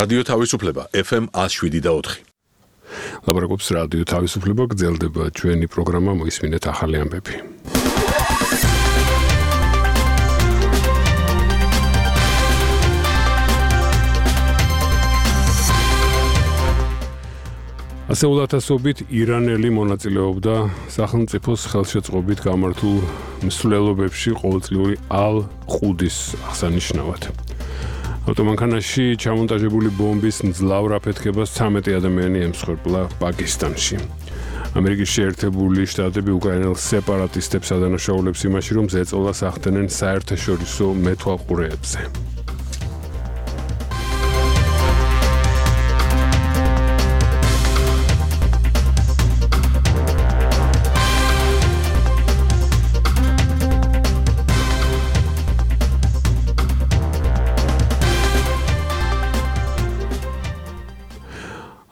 რადიო თავისუფლება FM 107.4. ლაპარაკობს რადიო თავისუფლება, გრძელდება ჩვენი პროგრამა, მოისმინეთ ახალი ამბები. ასეულ ათასობით ირანელი მონაწილეობდა სახელმწიფოს ხელშეწყობით გამართულ მსვლელობებში ყოველწლიური ალ-ყუდის აღსანიშნავად. ავტომანქანაში ჩამონტაჟებული ბომბის მძლავრ აფეთქებას 13 ადამიანი ემსხვერპლა პაკისტანში. ამერიკის შეერთებული შტატები უკრაინელ სეპარატისტებს ადანაშაულებს იმაში, რომ ზეწოლას ახდენენ საერთაშორისო მეთვალყურეებზე.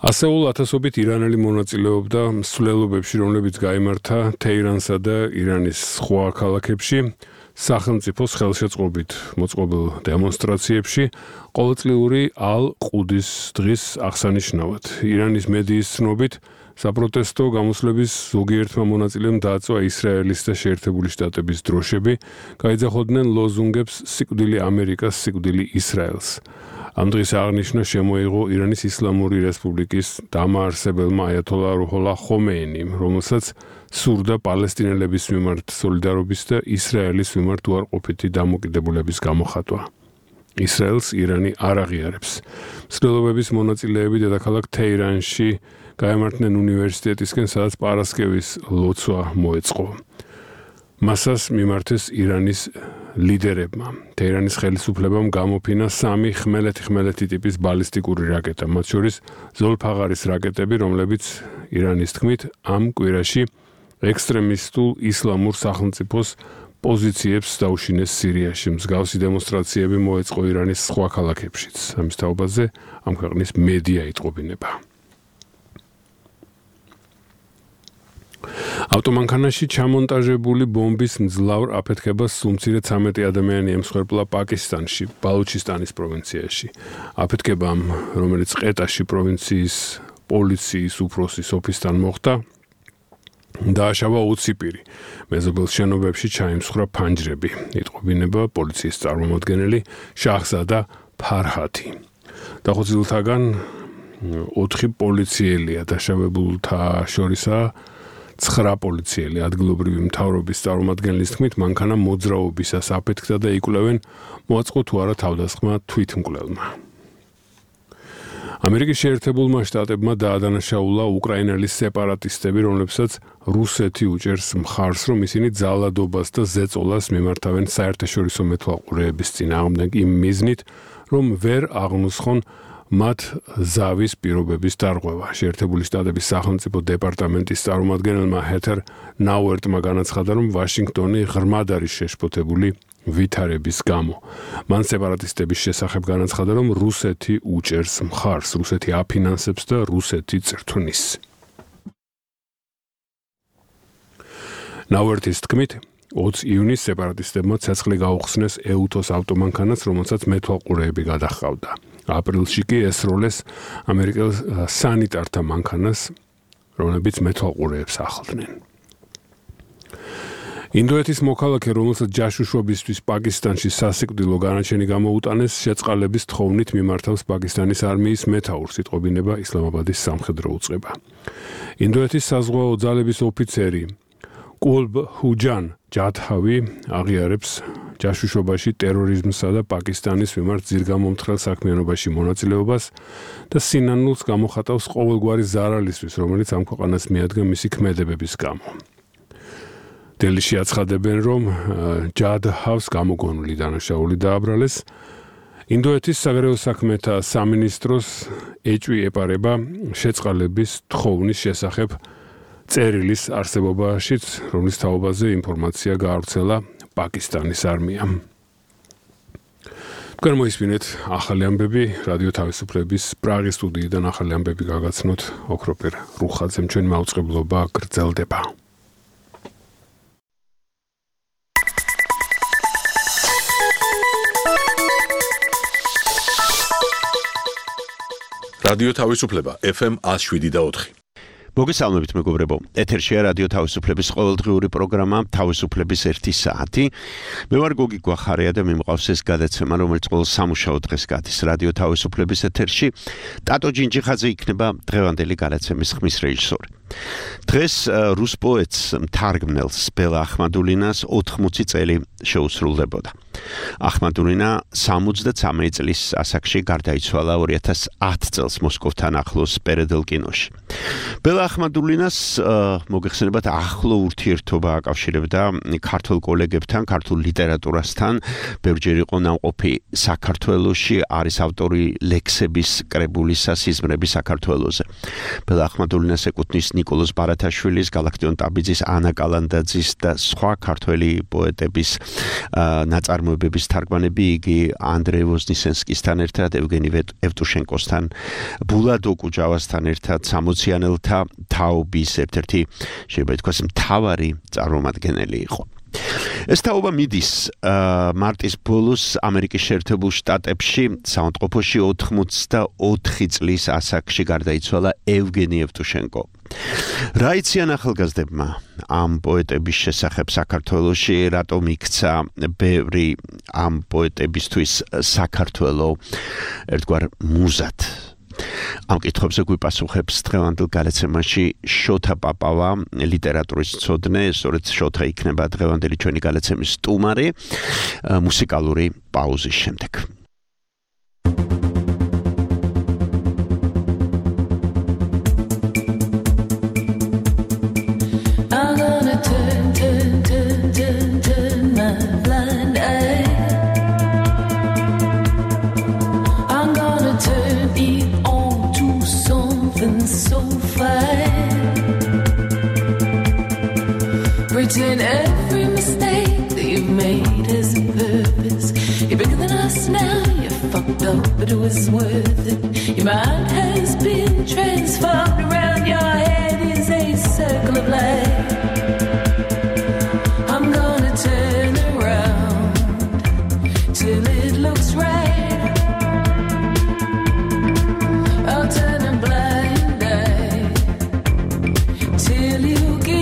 ასეულ ათასობით ირანელი მონაწილეობდა მსვლელობებში, რომლებიც გაიმართა თეირანსა და ირანის სხვა ქალაქებში, სახელმწიფოს ხელშეწყობით მოწყობილ დემონსტრაციებში, ყოველწლიური ალ-ყუდის დღის აღსანიშნავად. ირანის მედიის ცნობით, საპროტესტო გამოსვლების ზოგიერთმა მონაწილემ დააწვა ისრაელის და შეერთებული შტატების დროშები, გაიძახოდნენ ლოზუნგებს სიკვდილი ამერიკას, სიკვდილი ისრაელს. ამ დღის აღნიშვნა შემოიღო ირანის ისლამური რესპუბლიკის დამაარსებელმა აიათოლა რუჰოლა ხომეინიმ, რომელსაც სურდა პალესტინელების მიმართ სოლიდარობის და ისრაელის მიმართ უარყოფითი დამოკიდებულების გამოხატვა. ისრაელს ირანი არ აღიარებს. მსვლელობების მონაწილეები დედაქალაქ თეირანში გაემართნენ უნივერსიტეტისკენ, სადაც პარასკევის ლოცვა მოეწყო. მასას მიმართეს ირანის ლიდერებმა. თეირანის ხელისუფლებამ გამოფინა 3 ხმელეთი ტიპის ბალისტიკური რაკეტა, მათ შორის ზოლფაღარის რაკეტები, რომლებიც ირანის თქმით ამ კვირაში ექსტრემისტულ ისლამურ სახელმწიფოს პოზიციებს დაუშინეს სირიაში. მსგავსი დემონსტრაციები მოეწყო ირანის სხვა ქალაქებშიც. ამის თაობაზე ამ ქვეყნის მედია იტყობინება. ავტომანქანაში ჩამონტაჟებული ბომბის მძლავრ აფეთქებას სულ მცირე 13 ადამიანი ემსხვერპლა პაკისტანში, ბალუჩისტანის პროვინციაში. აფეთქებამ, რომელიც ყეტაში პროვინციის პოლიციის უფროსის ოფისთან მოხდა, დააშავა 20 პირი. მეზობელ შენობებში ჩაიმსხვრა ფანჯრები, იტყობინება პოლიციის წარმომადგენელი შაჰზადა ფარჰათი. დახოცილთაგან 4 პოლიციელია, დაშავებულთა შორისაა 9 პოლიციელი. ადგილობრივი მთავრობის წარმომადგენლის თქმით, მანქანა მოძრაობისას აფეთქდა და იკვლევენ, მოაწყო თუ არა თავდასხმა თვითმკვლელმა. ამერიკის შეერთებულმა შტატებმა დაადანაშაულა უკრაინელი სეპარატისტები, რომლებსაც რუსეთი უჭერს მხარს, რომ ისინი ძალადობას და ზეწოლას მიმართავენ საერთაშორისო მეთვალყურეების წინააღმდეგ იმ მიზნით, რომ ვერ აღნუსხონ მათ ზავის პირობების დარღვევა. შეერთებული შტატების სახელმწიფო დეპარტამენტის წარმომადგენელმა ჰეთერ ნაუერტმა განაცხადა, რომ ვაშინგტონი ღრმად არის შეშფოთებული ვითარების გამო. მან სეპარატისტების შესახებ განაცხადა, რომ რუსეთი უჭერს მხარს, რუსეთი აფინანსებს და რუსეთი წრთვნის. ნაუერტის თქმით, 20 ივნისს სეპარატისტებმა ცეცხლი გაუხსნეს ეუთოს ავტომანქანას, რომელსაც მეთვალყურეები გადაჰყავდა. აპრილში კი ესროლეს ამერიკელ სანიტართა მანქანას, რომლებიც მეთვალყურეებს ახლდნენ. ინდოეთის მოქალაქე, რომელსაც ჯაშუშობისთვის პაკისტანში სასიკვდილო განაჩენი გამოუტანეს, შეწყალების თხოვნით მიმართავს პაკისტანის არმიის მეთაურს, იტყობინება ისლამაბადის სამხედრო უწყება. ინდოეთის საზღვაო ძალების ოფიცერი კულბ ჰუჯან ჯადჰავი აღიარებს ჯაშუშობაში ტერორიზმსა და პაკისტანის მიმართ ძირგამომთხრელ საქმიანობაში მონაწილეობას და სინანულს გამოხატავს ყოველგვარი ზარალისთვის, რომელიც ამ ქვეყანას მიადგა მისი ქმედებების გამო. დელიში აცხადებენ, რომ ჯადჰავს გამოგონილი დანაშაული დააბრალეს. ინდოეთის საგარეო საქმეთა სამინისტროს ეჭვი ეპარება შეწყალების თხოვნის შესახებ წერილის არსებობაშიც, რომლის თაობაზე ინფორმაცია გაავრცელა პაკისტანის არმიამ. თქვენ მოისმინეთ ახალი ამბები რადიო თავისუფლების პრაღის სტუდიიდან ახალი ამბები გაგაცნოთ ოქროპერ რუხაძემ. ჩვენი მაუწყებლობა გრძელდება. რადიო თავისუფლება FM 107.4. მოგესალმებით მეგობრებო. ეთერშია რადიო თავისუფლების ყოველდღიური პროგრამა თავისუფლების 1 საათი. მე ვარ გოგი გვახარია და მიმყავს ეს გადაცემა, რომელიც ყოველ სამუშაო დღეს გადის რადიო თავისუფლების ეთერში. ტატო ჯინჯიხაძე იქნება დღევანდელი გადაცემის ხმის რეჟისორი. დღეს რუს პოეტს მთარგმნელს ბელა ახმადულინას 80 წელი შეუსრულდებოდა. ახმადულინა 73 წლის ასაკში გარდაიცვალა 2010 წელს მოსკოვთან ახლოს პერედელკინოში. ბელა ახმადულინას მოგეხსენებათ ახლო ურთიერთობა აკავშირებდა ქართულ კოლეგებთან, ქართულ ლიტერატურასთან, ბევრჯერ იყო ნამყოფი საქართველოში, არის ავტორი ლექსების კრებულისა სიზმრები საქართველოზე. ბელა ახმადულინას ეკუთვნის ნიკოლოზ ბარათაშვილის, გალაქტიონ ტაბიძის, ანა კალანდაძის და სხვა ქართველი პოეტების ნაწარმოებების თარგმანები იგი ანდრეი ვოზნისენსკისთან ერთად, ევგენი ევტუშენკოსთან, ბულად ოკუჯავასთან ერთად, სამოციანელთა თაობის ერთ-ერთი შეიძლება ითქვას მთავარი წარმომადგენელი იყო. ეს თაობა მიდის მარტის ბოლოს ამერიკის შეერთებულ შტატებში საავადმყოფოში 84 წლის ასაკში გარდაიცვალა ევგენი ევტუშენკო. რა იციან ახალგაზრდებმა ამ პოეტების შესახებ საქართველოში, რატომ იქცა ბევრი ამ პოეტებისთვის საქართველო ერთგვარ მუზად? ამ კითხვებზე გვიპასუხებს დღევანდელ გადაცემაში შოთა პაპავა, ლიტერატურის მცოდნე, სწორედ შოთა იქნება დღევანდელი ჩვენი გადაცემის სტუმარი მუსიკალური პაუზის შემდეგ. And every mistake that you've made has a purpose. You're bigger than us now, you're fucked up, but it was worth it. Your mind has been transformed, around your head is a circle of light. I'm gonna turn around till it looks right. I'll turn a blind eye till you give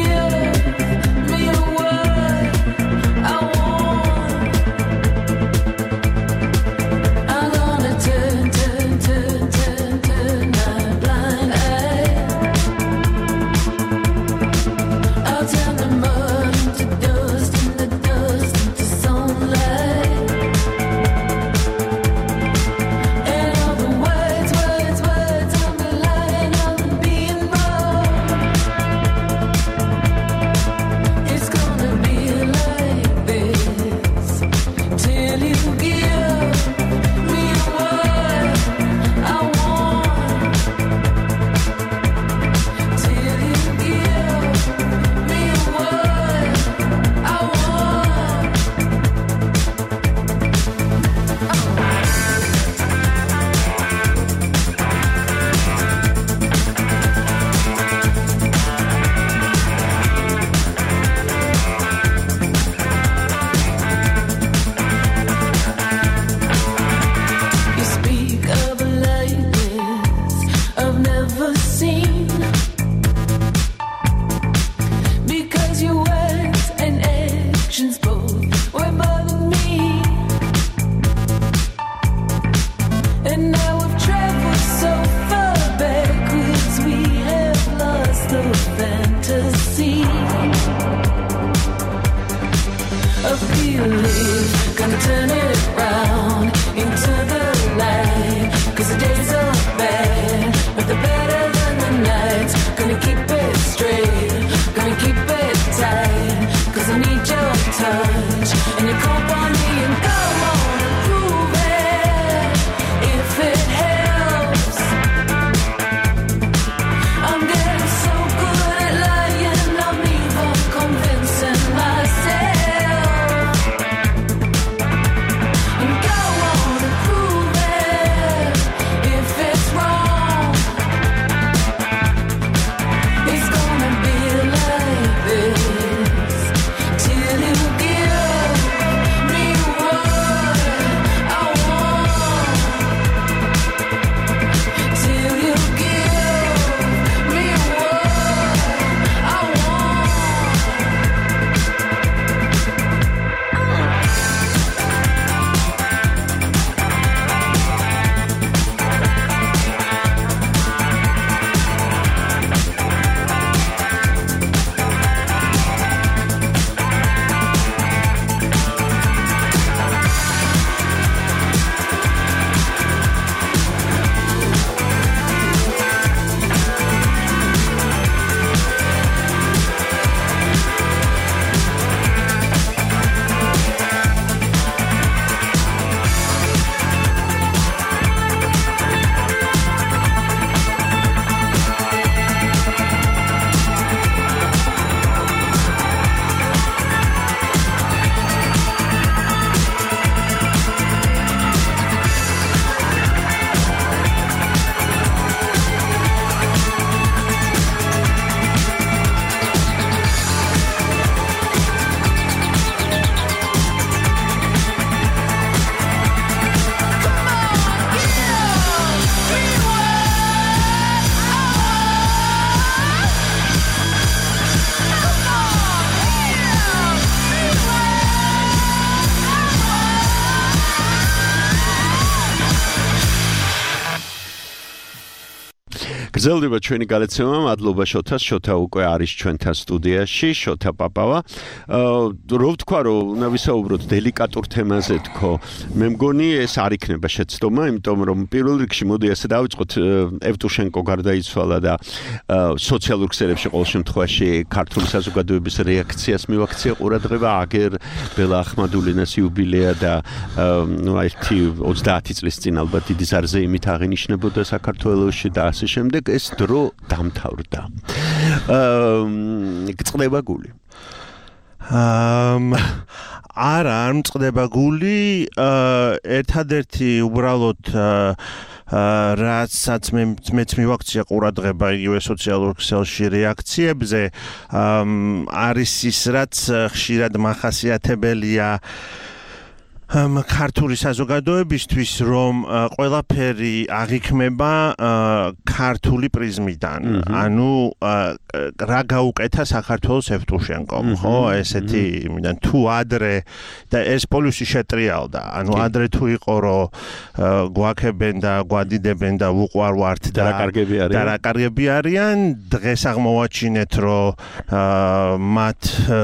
Till you give me გრძელდება ჩვენი გადაცემა, მადლობა შოთას, შოთა უკვე არის ჩვენთან სტუდიაში, შოთა პაპავა. რო ვთქვა, რომ უნდა ვისაუბროთ დელიკატურ თემაზე თქო, მე მგონი ეს არ იქნება შეცდომა, იმიტომ რომ პირველ რიგში მოდი ასე დავიწყოთ, ევტუშენკო გარდაიცვალა და სოციალურ ქსელებში ყოველ შემთხვევაში ქართული საზოგადოების რეაქციას მივაქცია ყურადღება, აგერ ბელა ახმადულინას იუბილეა და აი 30 წლის წინ ალბათ დიდი ზარზეიმით აღინიშნებოდა საქართველოში და ასე შემდეგ ეს დრო დამთავრდა. გწყდება გული? არა, არ მწყდება გული, ერთადერთი უბრალოდ რასაც მეც მივაქცია ყურადღება იგივე სოციალურ ქსელში რეაქციებზე, არის ის, რაც ხშირად მახასიათებელია ქართული საზოგადოებისთვის, რომ ყველაფერი აღიქმება ქართული პრიზმიდან. ანუ რა გაუკეთა საქართველოს ევტუშენკომ, ხო? ესეთი იმიდან თუ ადრე და ეს პოლუსი შეტრიალდა. ანუ ადრე თუ იყო, რომ გვაქებენ და გვადიდებენ და უყვარვართ და რა კარგები არიან, დღეს აღმოვაჩინეთ, რომ მათ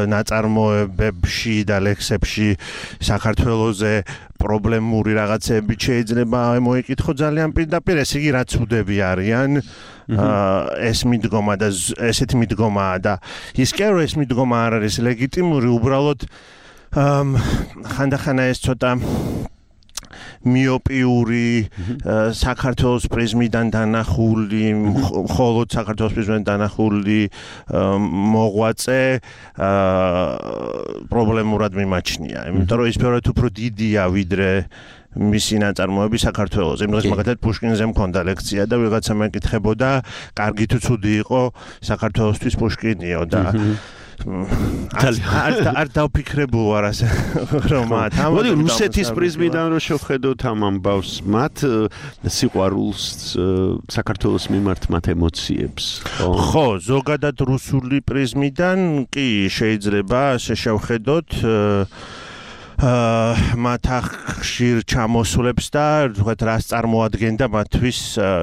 ნაწარმოებებში და ლექსებში საქართველოს პრობლემური რაღაცები შეიძლება მოიკითხო ძალიან პირდაპირ, ესე იგი რაც უდები არიან ეს მიდგომა და ესეთი მიდგომაა და ის კი არა ეს მიდგომა არ არის ლეგიტიმური, უბრალოდ ხანდახანა ეს ცოტა მიოპიური საქართველოს პრიზმიდან დანახული, მხოლოდ საქართველოს პრიზმიდან დანახული მოღვაწე პრობლემურად მიმაჩნია. იმიტომ რომ ის ბევრად უფრო დიდია ვიდრე მისი ნაწარმოები საქართველოს. იმ დღეს მაგათად პუშკინზე მქონდა ლექცია და ვიღაცა მეკითხებოდა, კარგი თუ ცუდი იყო საქართველოსთვის პუშკინიო და არ დავფიქრებულ ვარ ასე რომ მოდი რუსეთის პრიზმიდან რო შევხედოთ ამ ამბავს, მათ სიყვარულს საქართველოს მიმართ მათ ემოციებს. ხო, ზოგადად რუსული პრიზმიდან კი შეიძლება ასე შევხედოთ მათ ხშირ ჩამოსვლებს და თქვათ რას წარმოადგენდა მათთვის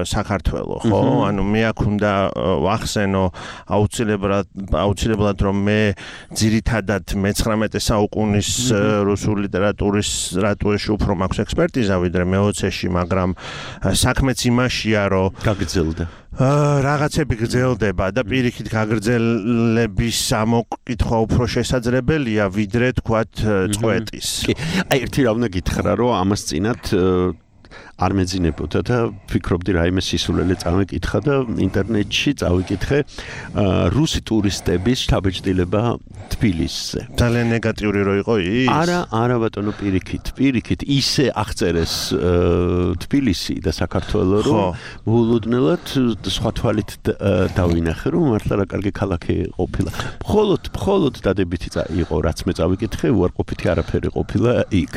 საქართველო, ხო? ანუ მე აქ უნდა ვახსენო აუცილებლად რომ მე ძირითადად მე-19 საუკუნის რუსული ლიტერატურის უფრო მაქვს ექსპერტიზა ვიდრე მე-20-ში, მაგრამ საქმეც იმაშია, რომ გაგრძელდა. რაღაცები გრძელდება და პირიქით გაგრძელების ამოკითხვა უფრო შესაძლებელია ვიდრე თქვათ წყვეტის. აი ერთი რა უნდა გითხრა, რომ ამას წინათ არ მეძინებოდა და ფიქრობდი რაიმე სისულელე წავიკითხა და ინტერნეტში წავიკითხე რუსი ტურისტების შთაბეჭდილება თბილისზე. ძალიან ნეგატიური რო იყო ის? არა ბატონო, პირიქით ისე აღწერეს თბილისი და საქართველო, რომ მოულოდნელად სხვა თვალით დავინახე, რომ მართლა რა კარგი ქალაქი ყოფილა. მხოლოდ დადებითი იყო, რაც მე წავიკითხე, უარყოფითი არაფერი ყოფილა იქ.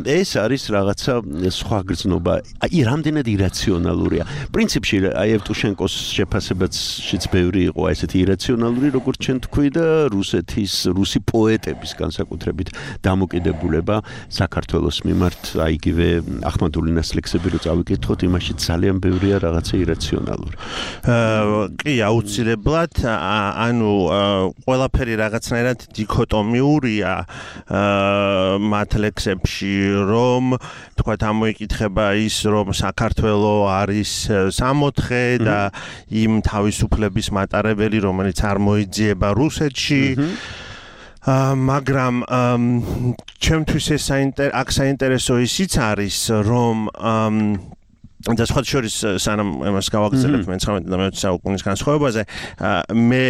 ეს არის რაღაცა სხვა გრძნობა, აი რამდენად ირაციონალურია. პრინციპში აი ევტუშენკოს შეფასებაშიც ბევრი იყო ესეთი ირაციონალური, როგორც ჩვენ თქვი და რუსი პოეტების განსაკუთრებით დამოკიდებულება საქართველოს მიმართ, აი იგივე ახმადულინას ლექსები რო წავიკითხოთ, იმაში ძალიან ბევრია რაღაცა ირაციონალური. კი, აუცილებლად, ანუ ყველაფერი რაღაცნაირად დიქოტომიურია მათ ლექსებში, რომ თქვათ ამოიკითხება ის, რომ საქართველო არის სამოთხე და იმ თავისუფლების მატარებელი, რომელიც არ მოიძიება რუსეთში. მაგრამ ჩემთვის ეს საინტერესო ისიც არის, რომ და სხვა შორის სანამ ამას გავაგრძელებ მე-19 და მე-20 საუკუნის განსხვავებაზე, მე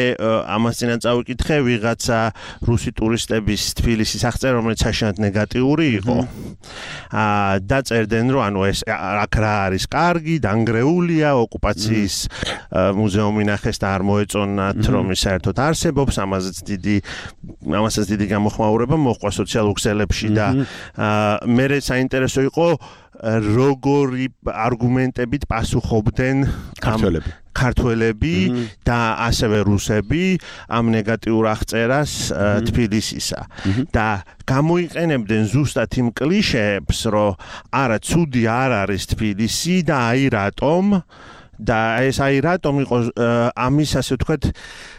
ამას წინათ წავიკითხე ვიღაცა რუსი ტურისტების თბილისის აღწერა, რომელიც საშინად ნეგატიური იყო. და წერდნენ, რომ ანუ ეს აქ რა არის კარგი, დანგრეულია, ოკუპაციის მუზეუმი ნახეს და არ მოეწონათ, რომ ის საერთოდ არსებობს, ამასაც დიდი გამოხმაურება მოჰყვა სოციალურ ქსელებში და მე საინტერესო იყო როგორი არგუმენტებით პასუხობდნენ ქართველები და ასევე რუსები ამ ნეგატიურ აღწერას თბილისისა და გამოიყენებდნენ ზუსტად იმ კლიშეებს, რომ არა ცუდი არ არის თბილისი და აი რატომ და ეს აი რატომ იყო ამის ასე ვთქვათ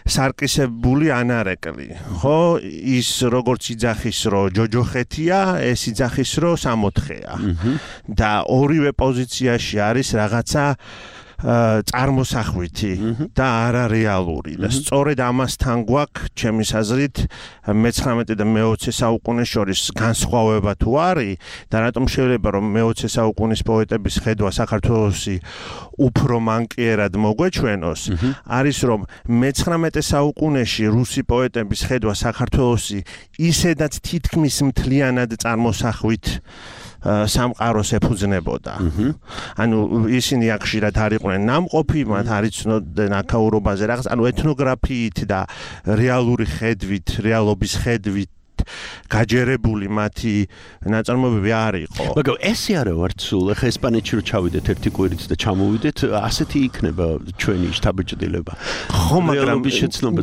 სარკისებული ანარეკლი ხო ის როგორც იძახის რომ ჯოჯოხეთია ეს იძახის რომ სამოთხეა და ორივე პოზიციაში არის რაღაცა წარმოსახვითი და არარეალური და სწორედ ამასთან გვაქვს ჩემის აზრით მე-19 და მე-20 საუკუნეს შორის განსხვავება თუ არის და რატომ შეიძლება რომ მე-20 საუკუნის პოეტების ხედვა საქართველოსი უფრო მანკიერად მოგვეჩვენოს არის რომ მე-19 საუკუნეში რუსი პოეტების ხედვა საქართველოსი ისედაც თითქმის მთლიანად წარმოსახვით სამყაროს ეფუძნებოდა. ანუ ისინი აქ ხშირად არ იყვნენ ნამყოფი, მათ არ იცნობდნენ აქაურობაზე რაღაც, ანუ ეთნოგრაფიით და რეალური ხედვით, რეალობის ხედვით გაჯერებული მათი ნაწარმოებები არ იყო. მაგრამ ესე არა ვარ სულ, ახლა ესპანეთში რო ჩავიდეთ ერთი კვირით და ჩამოვიდეთ, ასეთი იქნება ჩვენი შთაბეჭდილება. ხო, მაგრამ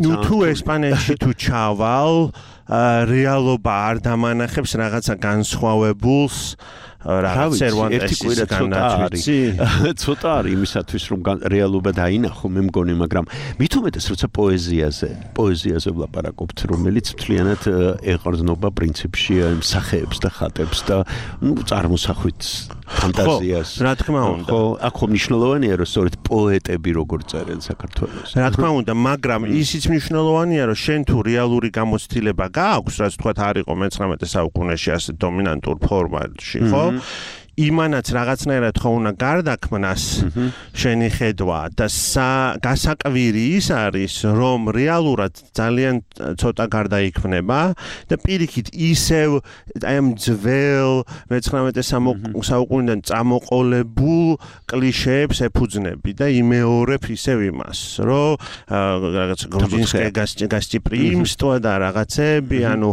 ნუ თუ ესპანეთში თუ ჩავალ რეალობა არ დამანახებს რაღაცა განსხვავებულს რაღაც სერვანტესის განაჩვიცი ცოტა არის იმისათვის რომ რეალობა დაინახო მე მგონი მაგრამ მით უმეტეს როცა პოეზიაზე ვლაპარაკობთ რომელიც მთლიანად ეყრდნობა პრინციპში სახეებს და ხატებს და წარმოსახვით ფანტაზიას რა თქმა უნდა ხო აქ ხომ მნიშვნელოვანია რომ სწორედ პოეტები როგორ წერენ საქართველოს რა თქმა უნდა მაგრამ ისიც მნიშვნელოვანია რომ შენ თუ რეალური გამოცდილება გააქვს რაც თქვა არ იყო მე-19 საუკუნეში ასე დომინანტურ ფორმატში ხო იმანაც რაღაცნაირად ხო უნდა გარდაქმნას შენი ხედვა და გასაკვირი ის არის რომ რეალურად ძალიან ცოტა გარდაიქმნება და პირიქით ისევ აი ამ ძველ მე-19 საუკუნიდან წამოყოლებულ კლიშეებს ეფუძნები და იმეორებ ისევ იმას რომ რაღაც გრუზინსკი გასტიპრიმსტვა და რაღაცები ანუ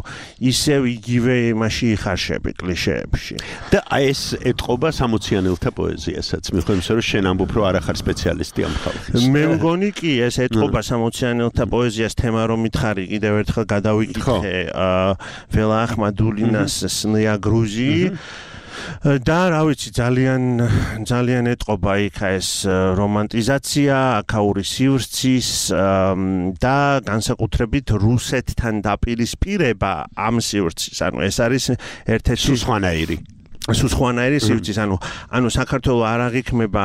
ისევ იგივე იმაში იხარშები კლიშეებში და ეს ეთყობა 60-იანელთა პოეზიასაც. მიხვდები, რომ შენ ამბობ, რომ არ ახარ სპეციალისტი ამ ხალხის. მე მგონი კი, ეს ეთყობა 60-იანელთა პოეზიას თემა რომ მითხარი, კიდევ ერთხელ გადავიკითხე ველა ახმადულინას სნია გრუზი და რა ვიცი ძალიან ეთყობა იქა ეს რომანტიზაცია, აქაური სივრცის და განსაკუთრებით რუსეთთან დაპირისპირება ამ სივრცის. ანუ ეს არის ერთ-ერთი სუსხვანაირი სივრცის, ანუ საქართველოს არ აღიქმება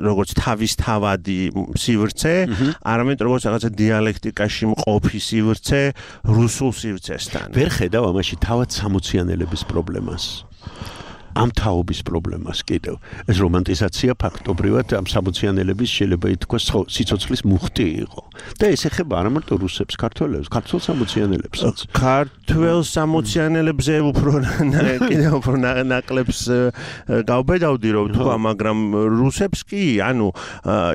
როგორც თავისთავადი სივრცე, არამედ როგორც რაღაცა დიალექტიკაში მყოფი სივრცე რუსულ სივრცესთან. ვერ ხედავ ამაში თავად 60-იანელების პრობლემას. ამ თაობის პრობლემას კიდევ. ეს რომანტიზაცია ფაქტობრივად ამ 60-იანელების შეიძლება ითქვას სიცოცხლის მუხტი იყო. და ეს ეხება არა მარტო რუსებს, ქართველებს, ქართულ 60-იანელებსაც. ქართველ 60-იანელებზე კიდევ უფრო ნაკლებს გავბედავდი რომ თქვა, მაგრამ რუსებს კი, ანუ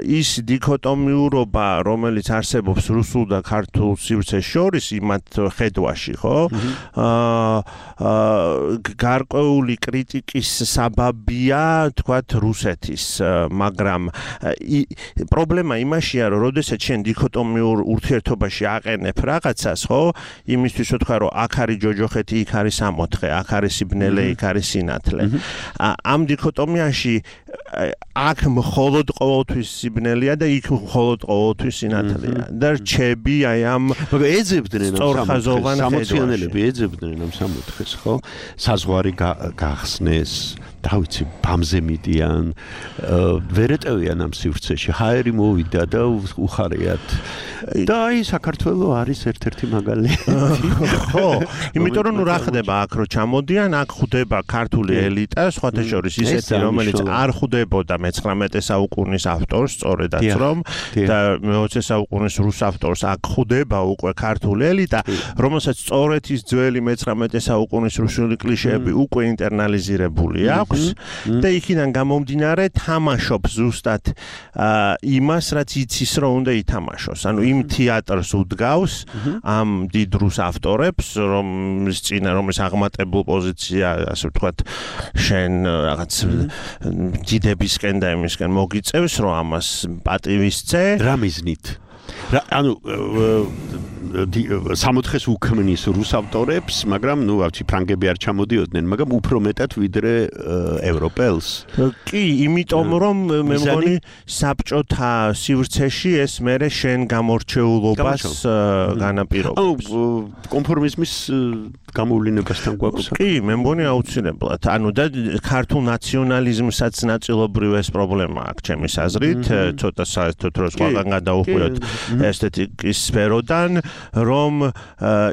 ის დიქოტომიურობა, რომელიც არსებობს რუსულ და ქართულ სივრცეს შორის იმათ ხედვაში, ხო? გარკვეული კრიტიკა ის საბაბია თქვათ რუსეთის მაგრამ პრობლემა იმაშია რომ როდესაც შენ დიქოტომიურ ურთიერთობაში აყენებ რაღაცას ხო იმისთვის რომ თქვა რომ აქ არის ჯოჯოხეთი იქ არის სამოთხე აქ არის სიბნელე იქ არის სინათლე ამ დიქოტომიაში აქ მხოლოდ ყოველთვის სიბნელეა და იქ მხოლოდ ყოველთვის სინათლეა და რჩები აი ამ მაგრამ ეძებდნენ სწორხაზოვან სამოციანელები ეძებდნენ ამ სამოთხეს ხო საზღვარი გახსნეს და ვიცი ბამზე მიდიან ვერ ეტევიან ამ სივრცეში ჰაერი მოვიდა და უხარიათ და აი საქართველოს არის ერთ-ერთი მაგალითი ხო იმიტომ რომ რა ხდება აქ რო ჩამოდიან აქ ხვდება ქართული ელიტა სხვათა შორის ისეთი რომელიც არ ხვდებოდა მე-19 საუკუნის ავტორს სწორედაც რომ და მე-20 საუკუნის რუს ავტორს აქ ხვდება უკვე ქართული ელიტა რომელსაც სწორედ ის ძველი მე-19 საუკუნის რუსული კლიშეები უკვე ინტერნალიზირებული აქვს და იქიდან გამომდინარე თამაშობს ზუსტად იმას რაც იცის რომ უნდა ითამაშოს ანუ იმ თეატრს უდგავს ამ დიდ რუს ავტორებს რომლის აღმატებულ პოზიცია ასე ვთქვათ შენ რაღაც დიდებისკენ და იმისკენ მოგიწევს რომ ამას პატივისცე რა მიზნით ანუ სამოთხეს უქმნის რუს ავტორებს, მაგრამ ნუ ავთი ფრანგები არ ჩამოდიოდნენ, მაგრამ უფრო მეტად ვიდრე ევროპელს. კი, იმიტომ რომ მე მგონი საბჭოთა სივრცეში ეს მერე შენ გამორჩეულობას განაპირობებს. ანუ კონფორმიზმის გამოვლინებასთან გვაქვს. კი, მე მგონი აუცილებლად. ანუ და ქართულ ნაციონალიზმსაც ნაწილობრივ ეს პრობლემა აქვს ჩემის აზრით, ცოტა საერთოდ რო სხვაგან გადაუხვიოთ ესთეტიკის სფეროდან, რომ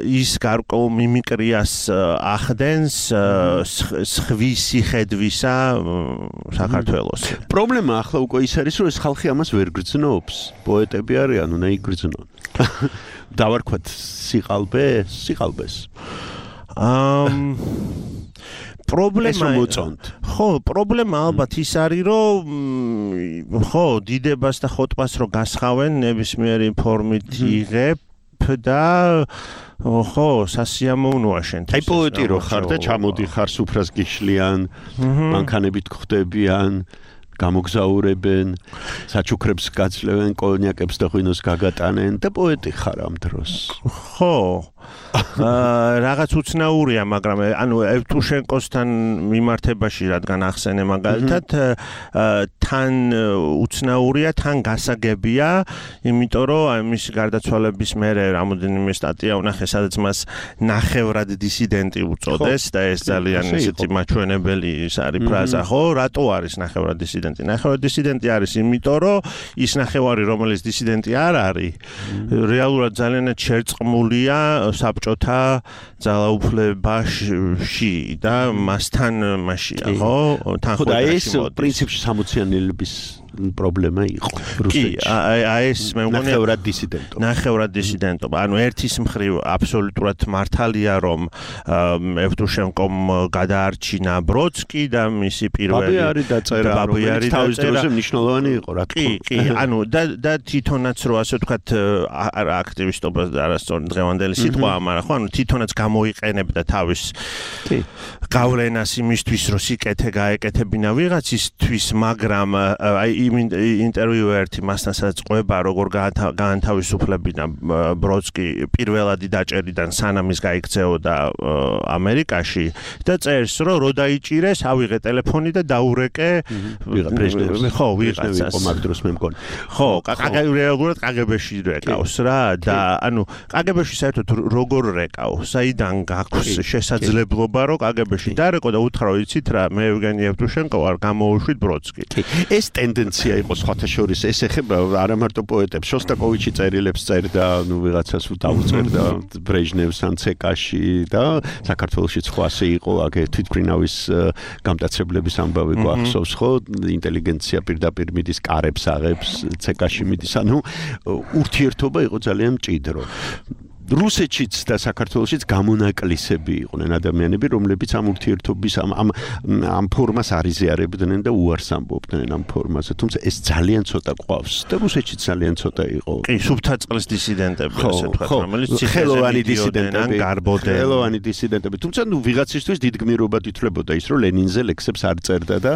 ის გარკვეულ მიმიკრიას ახდენს სხვისი ხედვისა საქართველოს. პრობლემა ახლა უკვე ის არის, რომ ეს ხალხი ამას ვერ გრძნობს. პოეტები არიან, უნდა იგრძნონ. დავარქვათ სიყალბეს. პრობლემა მოწონთ. ხო, პრობლემა ალბათ ის არის, რომ ხო, დიდებას და ხოტბას რო გასხავენ, ნებისმიერი ფორმით იღებ და ხო, სასიამოვნოა შენთვის. აი პოეტი რო ხარ და ჩამოდიხარ სუფრას გიშლიან, მანქანებით გხვდებიან, გამოგზაურებენ, საჩუქრებს გაძლევენ, კონიაკებს და ღვინოს გაგატანენ და პოეტი ხარ ამ დროს. ხო. რაღაც უცნაურია, მაგრამ ანუ ევტუშენკოსთან მიმართებაში რადგან ახსენე მაგალითად, თან უცნაურია, თან გასაგებია, იმიტომ რომ აი მისი გარდაცვალების მერე რამოდენიმე სტატია ვნახე, სადაც მას ნახევრად დისიდენტი უწოდეს და ეს ძალიან ისეთი მაჩვენებელი ის არის ფრაზა, ხო? რატო არის ნახევრად დისიდენტი? ნახევრად დისიდენტი არის, იმიტომ რომ ის ნახევარი, რომელიც დისიდენტი არ არის, რეალურად ძალიანად შერწყმულია საბჭოთა ძალაუფლებაში და მასთან მასია, ხო? თან ხო და ეს პრინციპში 60-იანელების პრობლემა იყო რუსეთში. კი, აი ეს მე მგონი ნახევრად დისიდენტობა. ანუ ერთის მხრივ აბსოლუტურად მართალია, რომ ევტუშენკომ გადაარჩინა ბროდსკი და მისი პირველი ბაბიარი დაწერა, რომელიც თავის დროზე მნიშვნელოვანი იყო, რა თქმა უნდა. კი, ანუ და თვითონაც რო ასე ვთქვათ, აქტივისტობა არასწორი დღევანდელი სიტყვაა, მაგრამ ხო, ანუ თვითონაც გამოიყენებდა თავის გავლენას იმისთვის, რომ სიკეთე გაეკეთებინა ვიღაცისთვის, მაგრამ აი ინტერვიუ ერთი მასთან სადაც ყვება როგორ გაანთავისუფლებინა ბროდსკი პირველადი დაჭერიდან სანამ ის გაიქცეოდა ამერიკაში და წერს რომ რო დაიჭირეს ავიღე ტელეფონი და დაურეკე ხო ვიღაცას იყო მაგ დროს მე მგონი ხო რეალურად კგბ-ში რეკავს რა და ანუ კგბ-ში საერთოდ როგორ რეკავს საიდან გაქვს შესაძლებლობა რომ კგბ-ში დარეკო და უთხრა იცით რა მე ევგენი ევტუშენკო არ გამოუშვით ბროდსკი ეს ტენდენცია იყო სხვათა შორის ეს ეხება არა მარტო პოეტებს შოსტაკოვიჩი წერილებს წერდა ნუ ვიღაცას დაუწერდა ბრეჟნევს ან ცეკაში და საქართველოშიც ხო ასე იყო აგე თვითმფრინავის გამტაცებლების ამბავი გვახსოვს ხო ინტელიგენცია პირდაპირ მიდის კარებს აღებს ცეკაში მიდის ანუ ურთიერთობა იყო ძალიან მჭიდრო რუსეთშიც და საქართველოშიც გამონაკლისები იყვნენ ადამიანები, რომლებიც ამ ურთიერთობის ამ ფორმას არიზიარებდნენ და უარს ამბობდნენ ამ ფორმაზე. თუმცა ეს ძალიან ცოტა ყავს და რუსეთშიც ძალიან ცოტა იყო. კი, სუფთაწყლის დისიდენტები, ასე ვთქვათ, რომელიც ხელოვანი დისიდენტები, გარბოდნენ. ხელოვანი დისიდენტები. თუმცა ნუ ვიღაცისთვის დიდგმირობად ითვლებოდა ის, რომ ლენინზე ლექსებს არ წერდა და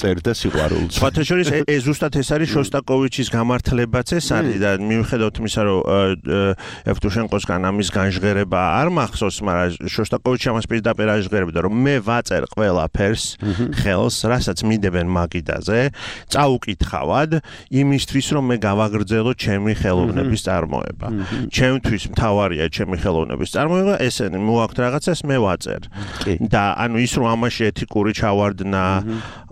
წერდა სიყვარულს. სხვათა შორის ეს ზუსტად ეს არის შოსტაკოვიჩის გამართლებაც ეს არის და მიუხედავად იმისა, რომ ევტუშენკოსგან ამის განჟღერება არ მახსოვს, მაგრამ შოსტაკოვიჩი ამას პირდაპირ აჟღერებდა, რომ მე ვაწერ ყველაფერს ხელს, რასაც მიდებენ მაგიდაზე, წაუკითხავად იმისთვის, რომ მე გავაგრძელო ჩემი ხელოვნების წარმოება. ჩემთვის მთავარია ჩემი ხელოვნების წარმოება, ესენი მოაქვთ რაღაცას, მე ვაწერ. და ანუ ის რომ ამაში ეთიკური ჩავარდნა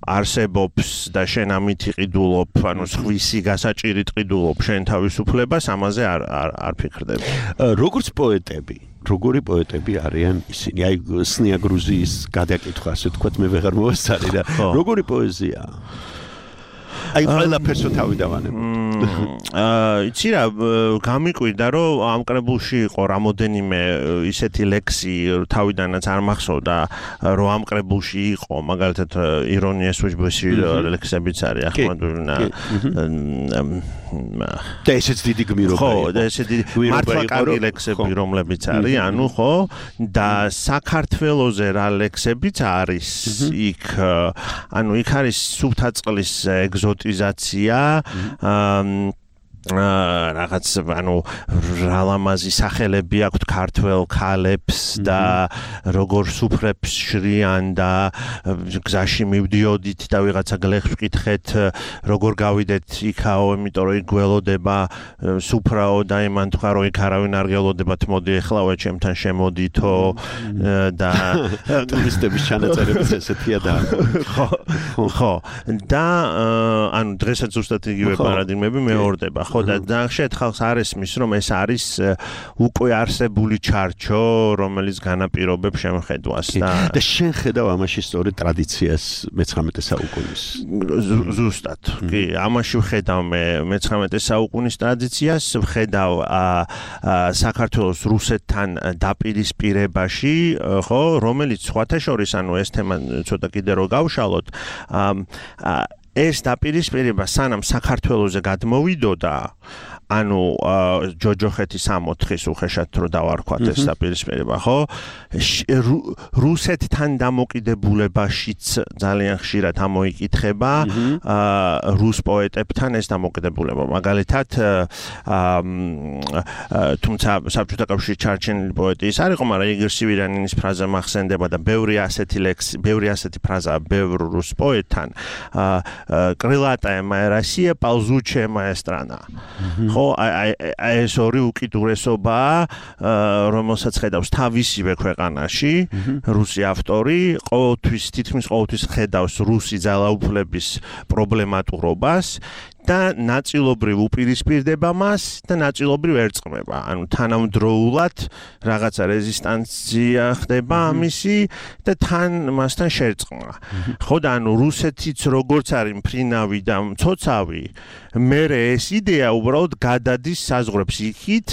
არსებობს და შენ ამით იყიდულობ, ანუ სხვისი გასაჭირით ყიდულობ შენ თავისუფლებას, ამაზე არ ფიქრდები. როგორც პოეტები, როგორი პოეტები არიან ისინი? აი სნია გრუზიის გადაკითხვა, ასე ვთქვათ, მე ვეღარ მოვასწარი და როგორი პოეზია? აი ყველაფერს თავი დავანებოთ. იცი რა, გამიკვირდა რომ ამ კრებულში იყო რამოდენიმე ისეთი ლექსი თავიდანაც არ მახსოვდა რომ ამ კრებულში იყო მაგალითად ირონია სუჯბოში ლექსებიც არის ახმადულინა და ესეც დიდი გმირობა იყო. ხო, და ესეთი მართლა კარგი ლექსები რომლებიც არის, ანუ ხო და საქართველოზე რა ლექსებიც არის იქ, ანუ იქ არის სუფთაწყლის ეგზოტიზაცია რაღაც ანუ რალამაზი სახელები აქვთ ქართველ ქალებს და როგორ სუფრებს შრიან და გზაში მივდიოდით და ვიღაცა გლეხს ვკითხეთ როგორ გავიდეთ იქაო იმიტომ რომ იქ გველოდება სუფრაო და იმან თქვა რომ იქ არავინ არ გველოდებათ მოდი ეხლავე ჩემთან შემოდითო და ტურისტების ჩანაწერებიც ესეთია და ხო და ანუ დღესაც ზუსტად იგივე პარადიგმები მეორდება ხო და ნახეთ ხალხს არ ესმის რომ ეს არის უკვე არსებული ჩარჩო რომელიც განაპირობებს შემხედვას და შენ ხედავ ამაში სწორედ ტრადიციას მე-19 საუკუნის ზუსტად კი ამაში ვხედავ მე მე-19 საუკუნის ტრადიციას ვხედავ საქართველოს რუსეთთან დაპირისპირებაში ხო რომელიც სხვათა შორის ანუ ეს თემა ცოტა კიდე რო გავშალოთ ეს დაპირისპირება სანამ საქართველოზე გადმოვიდოდა ანუ ჯოჯოხეთის 64-ის უხეშად რო დავარქვათ ეს დაპირისპირება ხო რუსეთთან დამოკიდებულებაშიც ძალიან ხშირად ამოიკითხება რუს პოეტებთან ეს დამოკიდებულება მაგალითად თუმცა საბჭოთა კავშირში ჩარჩენილი პოეტი ის არ იყო მაგრამ იგორ სივირიანინის ფრაზა მახსენდება და ბევრი ასეთი ფრაზაა ბევრ რუს პოეტთან კრილატая моя Россия ползучая моя страна ხო ეს ორი უკიდურესობა რომელსაც ხედავს თავისივე ქვეყანაში რუსი ავტორი ყოველთვის თითქმის ყოველთვის ხედავს რუსი ძალაუფლების პრობლემატურობას და ნაწილობრივ უპირისპირდება მას და ნაწილობრივ ერწყმება. ანუ თანამდროულად რაღაცა რეზისტანცია ხდება ამისი და მასთან შერწყმა. ხო და ანუ რუსეთიც როგორც არის მფრინავი და მცოცავი, მერე ეს იდეა უბრალოდ გადადის საზღვრებს იქით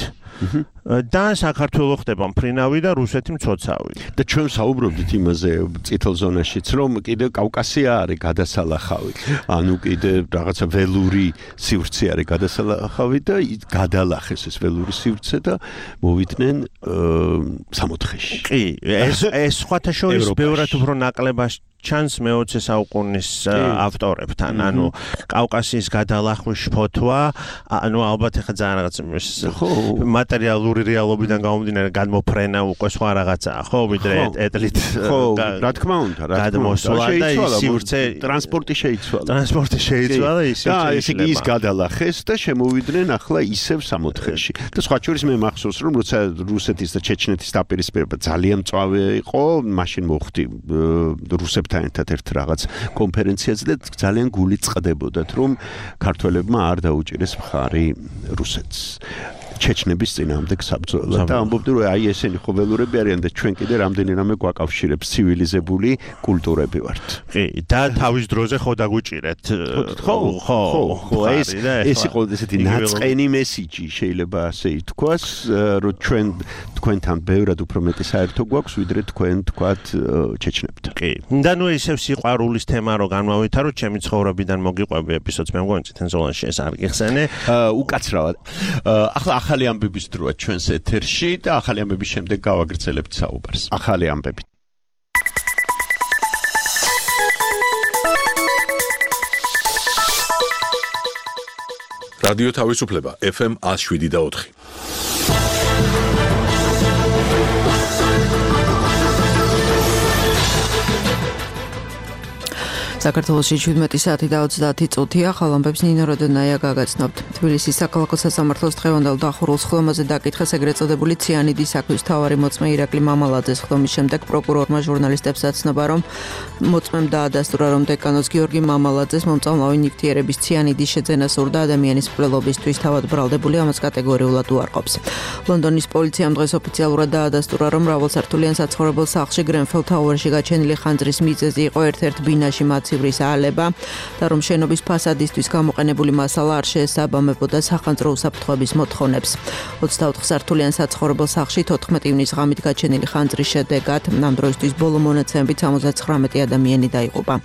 და საქართველოს ხდება მფრინავი და რუსეთი მცოცავი. და ჩვენ საუბრობდით იმაზე წითელ ზონაშიც, რომ კიდე კავკასია არის გადასალახავი. ანუ კიდე რაღაცა ველური სივრცე არის გადასალახავი და გადალახეს ეს ველური სივრცე და მოვიდნენ 64-ში. კი, ეს სხვათა შორის ბევრად უფრო ნაკლებად ჩანს მე-20 საუკუნის ავტორებთან, ანუ კავკასიის გადალახვის ფოთვა, ანუ ალბათ ახლა ძალიან რაღაც მატერიალური რეალობიდან გამომდინარე გადმოფრენა უკვე სხვა რაღაცაა, ხო, ვიდრე ეტლით რა თქმა უნდა, გადმოსვლა და ის სივრცე ტრანსპორტი შეიცვალა. ტრანსპორტი შეიცვალა ის ის გადალახეს და შემოვიდნენ ახლა ისევ 64-ში. და სხვა შორის მე მახსოვს რომ როცა რუსეთის და ჩეჩნეთის დაპირისპირება ძალიან მწვავე იყო, მაშინ მოხდი რუსებს ერთად ერთ რაღაც კონფერენციაზე და ძალიან გული წყდებოდათ რომ ქართველებმა არ დაუჭირეს მხარი რუსეთს ჩეჩნების წინააღმდეგ საბრძოლველად და ამბობდნენ რომ აი ესენი ხო ველურები არიან და ჩვენ კიდე რამდენი რამე გვაკავშირებს ცივილიზებული კულტურები ვართ. კი და თავის დროზე ხო დაგვიჭირეთ. ხო ეს იყო ესეთი ნაწყენი მესიჯი შეიძლება ასე ითქვას რომ ჩვენ თქვენთან ბევრად უფრო მეტი საერთო გვაქვს ვიდრე თქვენ თქვათ ჩეჩნებთან. კი და ნუ ისევ სიყვარულის თემა რო განმავითაროთ ჩემი ცხოვრებიდან მოგიყვები ეპიზოდს მე მგონი წითელ ზონაში ეს არ გიხსენე უკაცრავად ახლა ახალი ამბების დროა ჩვენს ეთერში და ახალი ამბების შემდეგ გავაგრძელებთ საუბარს. ახალი ამბები. რადიო თავისუფლება FM 107.4. საქართველოში 17 საათი და 30 წუთია, ახალ ამბებს ნინო როდონაია გაგაცნობთ. თბილისის საქალაქო სასამართლოს დღევანდელ დახურულ ხლომაზე დაკითხეს ეგრეთ წოდებული ციანიდის საქმის მთავარი მოწმე ირაკლი მამალაძეს ხლომის შემდეგ პროკურორმა ჟურნალისტებს აცნობა, რომ მოწმემ დაადასტურა, რომ დეკანოს გიორგი მამალაძეს მომწამლავი ნივთიერების ციანიდის შეძენა სურდა ადამიანის მკვლელობისთვის, თავად ბრალდებული ამას კატეგორიულად უარყოფს. ლონდონის პოლიციამ დღეს ოფიციალურად დაადასტურა, რომ მრავალსართულიან საცხოვრებელ სახლში გრენფელ თაუერში გაჩენილი ხანძრის მიზეზი იყო ერთ-ერთ ბინაში ცივრის აალება და რომ შენობის ფასადისთვის გამოყენებული მასალა არ შეესაბამებოდა სახანძრო უსაფრთხოების მოთხოვნებს. 24 სართულიან საცხოვრებელ სახლში 14 ივნის ღამით გაჩენილი ხანძრის შედეგად ამ დროისთვის ბოლო მონაცემებით 79 ადამიანი დაიღუპა.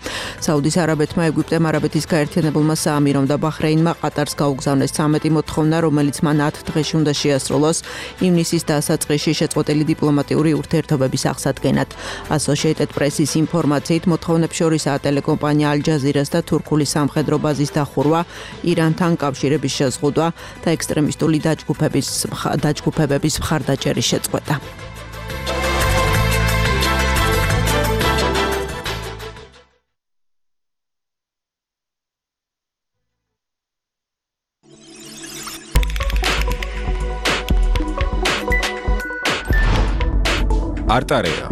საუდის არაბეთმა, ეგვიპტემ, არაბეთის გაერთიანებულმა საამირომ და ბაჰრეინმა ყატარს გაუგზავნეს 13 მოთხოვნა, რომელიც მან 10 დღეში უნდა შეასრულოს ივნისის დასაწყისში შეწყვეტილი დიპლომატიური ურთიერთობების აღსადგენად. Associated Press-ის ინფორმაციით მოთხოვნებს შორისაა ტელეკომუნიკაციების ტელეკომპანია ალ-ჯაზირას და თურქული სამხედრო ბაზის დახურვა, ირანთან კავშირების შეზღუდვა და ექსტრემისტული დაჯგუფებების მხარდაჭერის შეწყვეტა. არტარეა.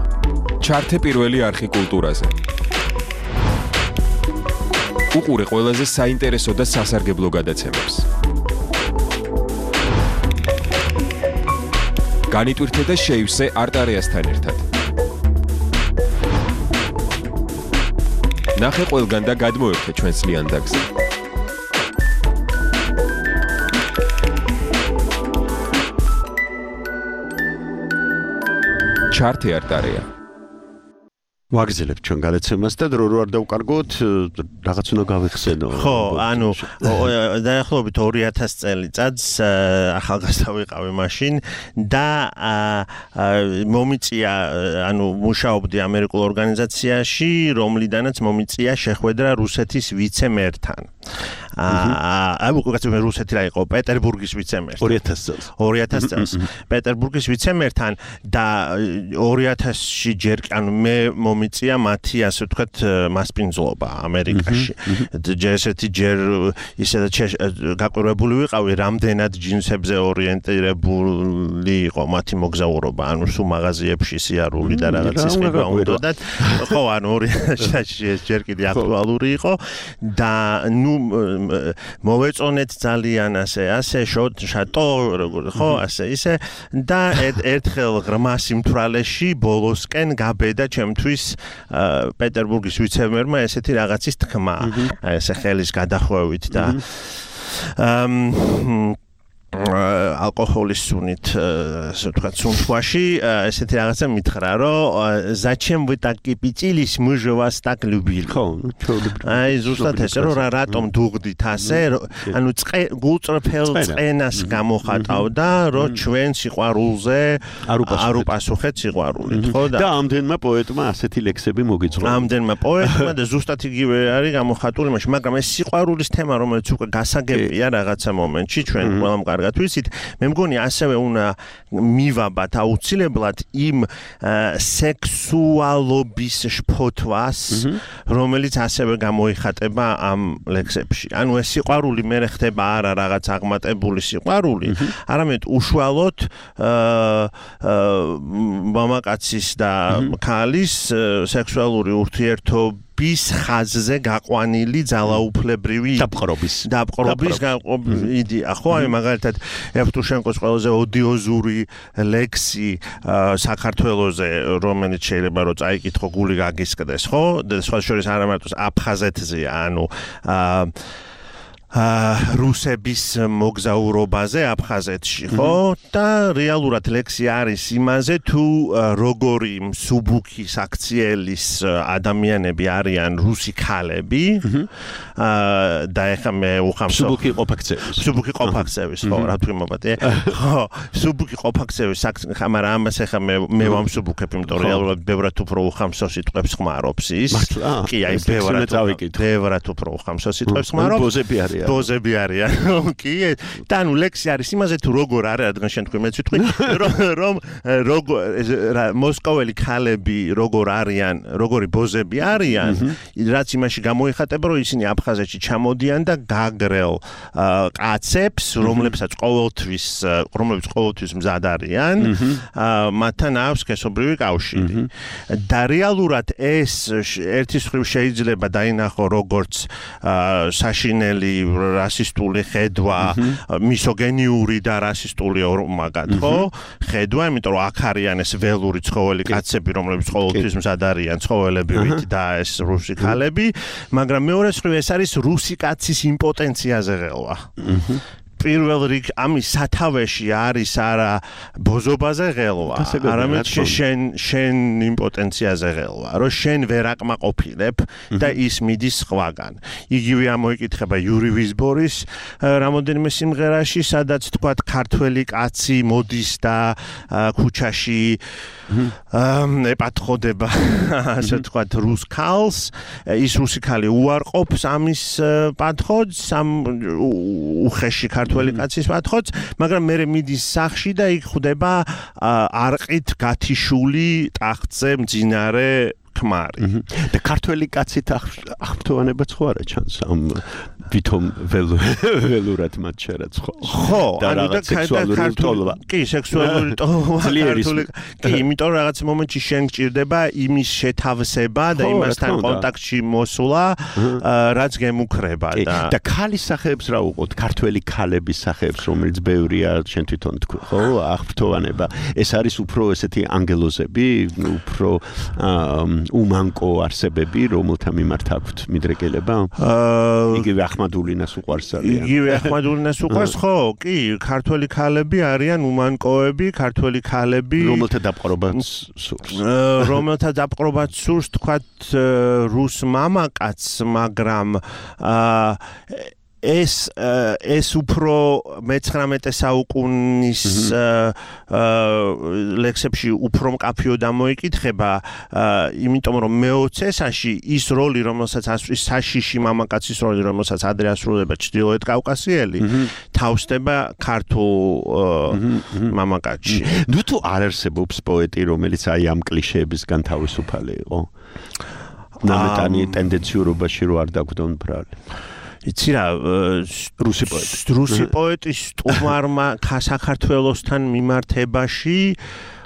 ჩართე პირველი არხი კულტურაზე. უყურე ყველაზე საინტერესო და სასარგებლო გადაცემებს. განიტვირთე და შეივსე არტარეასთან ერთად. ნახე ყველგან და გადმოერთე ჩვენს ლიანდაგზე. ჩართე არტარეა. ვაგრძელებთ ჩვენ გადაცემას და დრო არ დავკარგოთ, რაღაც უნდა გავიხსენო. ხო, ანუ დაახლოებით 2000 წელიწადს ახალგაზრდა ვიყავი მაშინ და მომიწია, ანუ მუშაობდი ამერიკულ ორგანიზაციაში, რომლიდანაც მომიწია შეხვედრა რუსეთის ვიცე-მერთან. უკაცრავად რუსეთი რა იყო, პეტერბურგის ვიცე-მერთან. 2000 წელს. პეტერბურგის ვიცე-მერთან და 2000-ში ჯერ ანუ მე მომიწია მათი ასე ვთქვათ მასპინძლობა ამერიკაში. ესეთი ჯერ ისედაც გაკვირვებული ვიყავი, რამდენად ჯინსებზე ორიენტირებული იყო მათი მოგზაურობა, ანუ სულ მაღაზიებში სიარული და რაღაც ისება უნდათ. ხო, ანუ 2000-ში ეს ჯერ კიდე აქტუალური იყო და ნუ მოვეწონეთ ძალიან ასე შატო ხო ასე ისე და ერთხელ ღრმა სიმთვრალეში ბოლოსკენ გაბედა ჩემთვის პეტერბურგის ვიცე-მერმა ესეთი რაღაცის თქმა ესე ხელის გადახვევით და ალკოჰოლის სუნით ასე ვთქვათ სუნთქვაში ესეთი რაღაცა მითხრა რომ зачем вы так кипятились мы же вас так любили აი ზუსტად ესე რომ რატომ დუღდით ასე ანუ გულწრფელ წენას გამოხატავდა რომ ჩვენ სიყვარულზე არ უპასუხეთ სიყვარულით ხო და ამდენმა პოეტმა ასეთი ლექსები მოგიწვია ამდენმა პოეტმა და ზუსტად იგივე არის გამოხატული მაშინ მაგრამ ეს სიყვარულის თემა რომელიც უკვე გასაგებია რაღაცა მომენტში ჩვენ ყველამ კარგად ვიცით მე მგონი ასევე უნდა მივაბათ აუცილებლად იმ სექსუალობის შფოთვას რომელიც ასევე გამოიხატება ამ ლექსებში ანუ ეს სიყვარული მე ხდება არა რაღაც აღმატებული სიყვარული არამედ უშუალოდ მამაკაცის და ქალის სექსუალური ურთიერთობა bis ხაზზე გაყვანილი ძალაუფლებრივი დაპყრობის იდეა ხო აი მაგალითად ევტუშენკოს ყველაზე ოდიოზური ლექსი საქართველოზე რომელიც შეიძლება რომ წაიკითხო გული გაგისკდეს ხო და სხვა შორის არა მარტო აფხაზეთზეა ანუ რუსების მოგზაურობაზე აფხაზეთში ხო და რეალურად ლექსი არის იმაზე თუ როგორი მსუბუქი საქციელის ადამიანები არიან რუსი ქალები და ეხლა მე უხამს მსუბუქი ყოფაქცევის ხო რა თქმა უნდა ხო მსუბუქი ყოფაქცევის მაგრამ ამას ეხლა მე ვამსუბუქებ იმიტომ რეალურად ბევრად უფრო უხამსო სიტყვებს ხმარობს ის კი აი ბევრად უფრო უხამსო სიტყვებს ხმარობს ბოზები არიან კი და ნუ ლექსი არის იმაზე თუ როგორ არის რადგან შენ თქვი მეც ვიტყვი რომ მოსკოველი ქალები როგორ არიან როგორი ბოზები არიან რაც იმაში გამოიხატება რომ ისინი აფხაზეთში ჩამოდიან და გაგრელ კაცებს რომლებსაც ყოველთვის მზად არიან მათთან აქვს სქესობრივი კავშირი და რეალურად ეს ერთის მხრივ შეიძლება დაინახო როგორც საშინელი რასისტული ხედვა, მისოგენიური და რასისტული მაგათ, ხო? ხედვა, იმიტომ რომ აქ არიან ეს ველური ცხოველი კაცები, რომლებიც ყოველთვის მზად არიან ცხოველებივით და ეს რუსი ქალები, მაგრამ მეორე მხრივ ეს არის რუსი კაცის იმპოტენციაზე ღელვა. პირველ რიგ ამის სათავეში არის არა ბოზობაზე ღელვა, არამედ შენ იმპოტენციაზე ღელვა, რომ შენ ვერ აკმაყოფილებ და ის მიდის სხვაგან. იგივე ამოიკითხება იური ვიზბორის რამოდენიმე სიმღერაში, სადაც თქვათ ქართველი კაცი მოდის და ქუჩაში ეპათხოდება, ასე თქვათ, რუს ქალს, ის რუსი ქალი უარყოფს ამის პათხოძს, ამ უხეში ქართველი კაცის პათხოძს, მაგრამ მერე მიდის სახში და იქ ხვდება არყით გათიშული ტახტზე მძინარე ქმარი. და ქართველი კაცით აღფრთოვანებაც ხო არა ჩანს ამ ვითომ ველურად მათ შერაც ხო? ხო, ანუ და სექსუალური ტოლვა. კი, სექსუალური ტოლვა. კი, იმიტომ რომ რაღაც მომენტში შენ გჭირდება იმის შეთავსება და იმასთან კონტაქტში მოსვლა, რაც გემუქრება და ქალის სახეებს რა უყოთ, ქართველი ქალების სახეებს, რომელიც ბევრია, შენ თვითონ თქვი, ხო, აღფრთოვანება. ეს არის უფრო ესეთი ანგელოზები, უფრო უმანკო არსებები, რომელთა მიმართ აქვთ მიდრეკილება? იგივე ახმადულინას უყვარს ძალიან. იგივე ახმადულინას უყვარს, ხო, კი, ქართველი ქალები არიან უმანკოები, ქართველი ქალები, რომელთა დაპყრობაც სურს. რომელთა დაპყრობაც სურს, თქვათ, რუს მამაკაცს, მაგრამ ეს უფრო მე-19 საუკუნის ლექსებში უფრო მკაფიოდ ამოიკითხება, იმიტომ რომ მე-20-ში ის როლი, რომელსაც ასრულებს საშიში მამაკაცის როლი, რომელსაც ადრე ასრულება ჩრდილოეთ კავკასიელი, თავსდება ქართულ მამაკაცში. ნუ თუ არ არსებობს პოეტი, რომელიც აი ამ კლიშეებისგან თავისუფალი იყო? ნამეტანი ტენდენციურობაში რო არ დაგვდონ ბრალი. იცი რა, რუსი პოეტის სტუმარმა საქართველოსთან მიმართებაში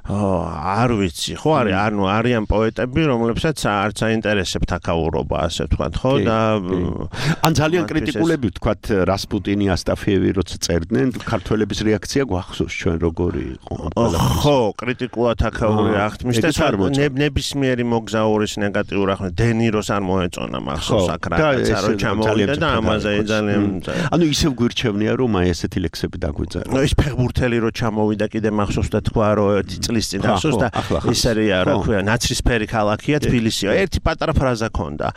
არ ვიცი, ხო არის, ანუ არიან პოეტები, რომლებსაც არც აინტერესებთ აკაურობა, ასე ვთქვათ, ხო და ან ძალიან კრიტიკულები ვთქვათ, რასპუტინი, ასტაფიევი როცა წერდნენ, ქართველების რეაქცია გვახსოვს ჩვენ როგორი იყო. ხო, კრიტიკულად აკაური აღთმის და ნებისმიერი მოგზაურის ნეგატიურ აღქმას დენიროს არ მოეწონა მახსოვს აქ რაღაცა რო ჩამოვიდა და ამაზე ძალიან ანუ ისევ გვირჩევნია რომ აი ესეთი ლექსები დაგვიწერა. ის ფეხბურთელი რო ჩამოვიდა კიდე მახსოვს და თქვა რომ ერთი წლის წინ ახსოვს და ის არის რა ქვია ნაცრისფერი ქალაქია თბილისია ერთი პატარა ფრაზა ქონდა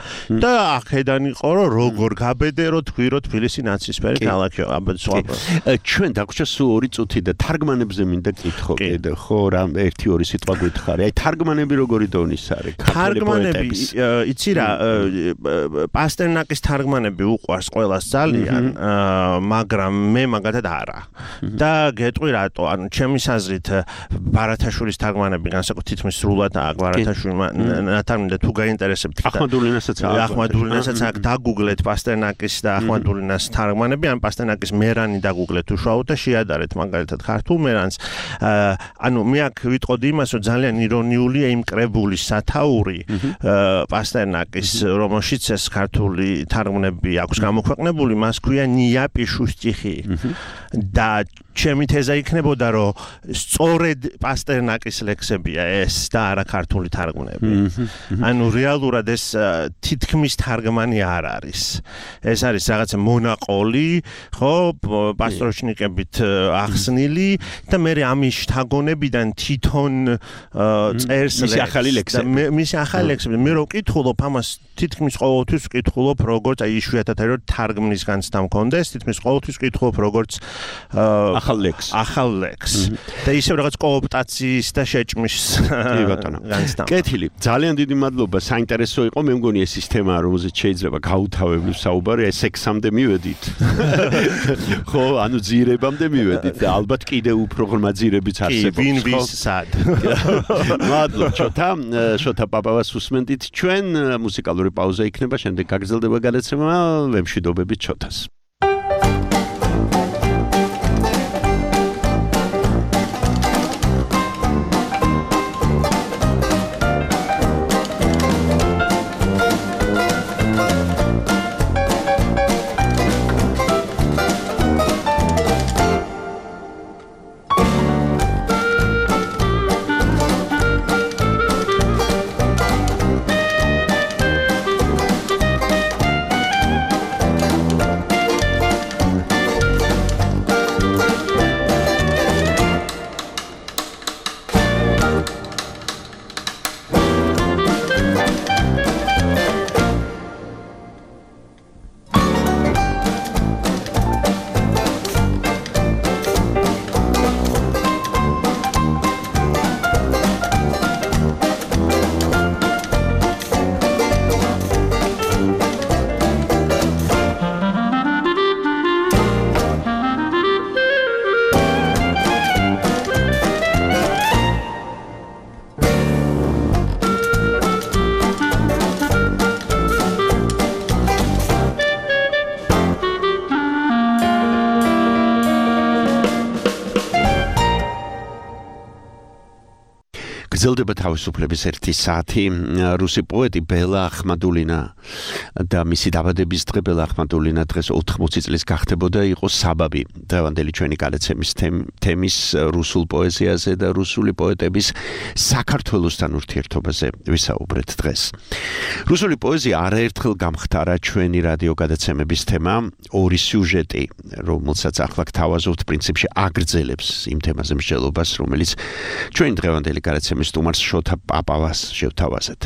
და ახედან იყო რომ როგორ გაბედე რომ თქვი რომ თბილისი ნაცრისფერი ქალაქია ჩვენ დაგვჭირდა სულ 2 წუთი და თარგმანებზე მინდა კითხო კიდე ხო რა 1-2 სიტყვა გითხარი აი თარგმანები როგორი დონის არის თარგმანები იცი რა პასტერნაკის თარგმანები უყვარს ყველას ძალიან მაგრამ მე მაგათად არა და გეტყვი რატო ანუ ჩემის აზრით ბარათაშვილის თარგმანები განსაკუთრებით თითქმის სრულად აქვს ბარათაშვილმა ნათარგმნი და თუ გაინტერესებთ ახმადულინასაც აქ დაგუგლეთ პასტერნაკის და ახმადულინას თარგმანები ან პასტერნაკის მერანი დაგუგლეთ უშუალოდ და შეადარეთ მაგალითად ქართულ მერანს ანუ მე აქ ვიტყოდი იმას რომ ძალიან ირონიულია იმ კრებულის სათაური პასტერნაკის რომელშიც ეს ქართული თარგმანები აქვს გამოქვეყნებული მას ქვია ნია პიშუშტიხი და ჩემი თეზა იქნებოდა რომ სწორედ პასტერნაკის ლექსებია ეს და არა ქართული თარგმანები. ანუ რეალურად ეს თითქმის თარგმანი არ არის. ეს არის რაღაცა მონაყოლი, ხო, პასტროჩნიკებით ახსნილი და მე ამის შთაგონებიდან თვითონ წერს მისი ახალი ლექსები. მე რო ვკითხულობ ამას თითქმის ყოველთვის ვკითხულობ როგორც აი იშვიათად არის რომ თარგმნის განცდა მქონდეს, თითქმის ყოველთვის ვკითხულობ როგორც ახალ ლექს. და ისევ რაღაც კოოპტაციის და შეჭმის განცდა. კეთილი, ძალიან დიდი მადლობა, საინტერესო იყო, მე მგონი ეს სისტემა რომელზეც შეიძლება გაუთავებლივ საუბარი, ეს სექსამდე მივედით. ხო, ანუ ძირებამდე მივედით და ალბათ კიდე უფრო ღრმა ძირებიც არსებობს. ვინ ვის სად. მადლობა, შოთა პაპავას უსმენდით. ჩვენ მუსიკალური პაუზა იქნება, შემდეგ გაგრძელდება გადაცემა, ვემშვიდობებით შოთას. გრძელდება თავისუფლების 1 საათი. რუსი პოეტი ბელა ახმადულინა და მისი დაბადების დღე ბელა ახმადულინა დღეს 80 წლის გახდებოდა, იყო საბაბი დღევანდელი ჩვენი გადაცემის თემის რუსულ პოეზიაზე და რუსული პოეტების საქართველოსთან ურთიერთობაზე ვისაუბრეთ დღეს. რუსული პოეზია არაერთხელ გამხდარა ჩვენი რადიო გადაცემების თემა, ორი სიუჟეტი, რომელსაც ახლა გთავაზობთ პრინციპში აგრძელებს იმ თემაზე მსჯელობას, რომელიც ჩვენ დღევანდელი გადაცემის სტუმარს შოთა პაპავას შევთავაზეთ.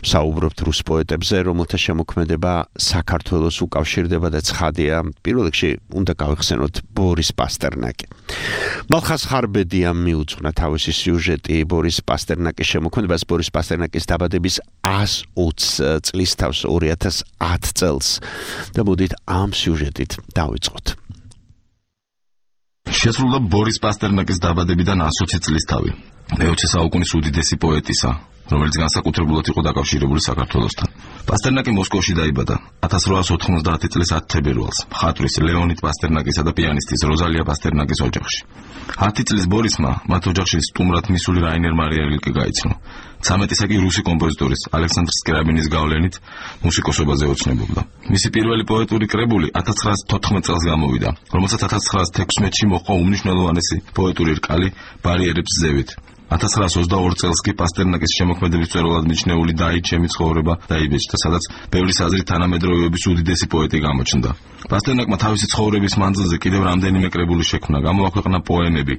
საუბრობთ რუს პოეტებზე, რომელთა შემოქმედება საქართველოს უკავშირდება და ცხადია, პირველ რიგში უნდა გავიხსენოთ ბორის პასტერნაკი. მალხას ხარბედიამ მიუძღვნა თავისი სიუჟეტი ბორის პასტერნაკის შემოქმედებას ბორის პასტერნაკის დაბადების 120 წლის თავს 2010 წელს და მოდით ამ სიუჟეტით დავიწყოთ. შესრულდა ბორის პასტერნაკის დაბადებიდან 120 წლის თავი. მე-20 საუკუნის უდიდესი პოეტისა, რომელიც განსაკუთრებულად იყო დაკავშირებული საქართველოსთან. პასტერნაკი მოსკოვში დაიბადა 1890 წლის 10 თებერვალს, მხატვრის ლეონიდ პასტერნაკისა და პიანისტის როზალია პასტერნაკის ოჯახში. 10 წლის ბორისმა მათ ოჯახში სტუმრად მისული რაინერ მარია რილკე გაიცნო. 13-ისა კი რუსი კომპოზიტორის ალექსანდრ სკრიაბინის გავლენით მუსიკოსობაზე ოცნებობდა. მისი პირველი პოეტური კრებული 1914 წელს გამოვიდა, რომელსაც 1916-ში მოჰყვა უმნიშვნელოვანესი პოეტური რკალი ბარიერებს ზევით. 1922 წელს კი პასტერნაკის შემოქმედების მწერლად მიჩნეული დაიჩემი ცხოვრება დაიბეჭდა, სადაც ბევრი აზრით თანამედროვეობის უდიდესი პოეტი გამოჩნდა. პასტერნაკმა თავისი ცხოვრების მანძილზე კიდევ რამდენიმე კრებული შექმნა, გამოაქვეყნა პოემები,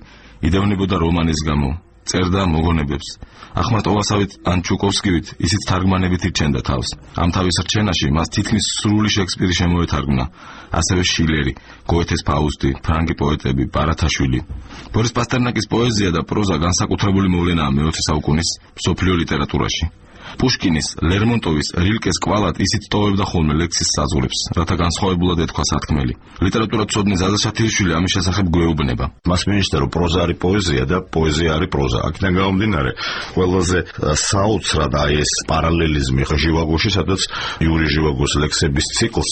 იდევნებოდა რომანის გამო, წერდა მოგონებებს. ახმართ ოვასავით ან ჩუკოვსკივით ისიც თარგმანებით ირჩენდა თავს. ამ თავის რჩენაში მას თითქმის სრული შექსპირი შემოეთარგმნა, ასევე შილერი, გოეთეს ფაუსტი, ფრანგი პოეტები, ბარათაშვილი. ბორის პასტერნაკის პოეზია და პროზა განსაკუთრებული მოვლენაა მე-20 საუკუნის მსოფლიო ლიტერატურაში. პუშკინის, ლერმონტოვის, რილკეს კვალად ისიც ტოვებდა ხოლმე ლექსის საზღვრებს, რათა განსხვავებულად ეთქვა სათქმელი. ლიტერატურათმცოდნე ზაზა შათილიშვილი ამის შესახებ გვეუბნება. მას მინიშნა, რომ პროზა არის პოეზია და პოეზია არის პროზა. აქედან გამომდინარე, ყველაზე საოცრად აი ეს პარალელიზმი ჟივაგოში, სადაც იური ჟივაგოს ლექსების ციკლს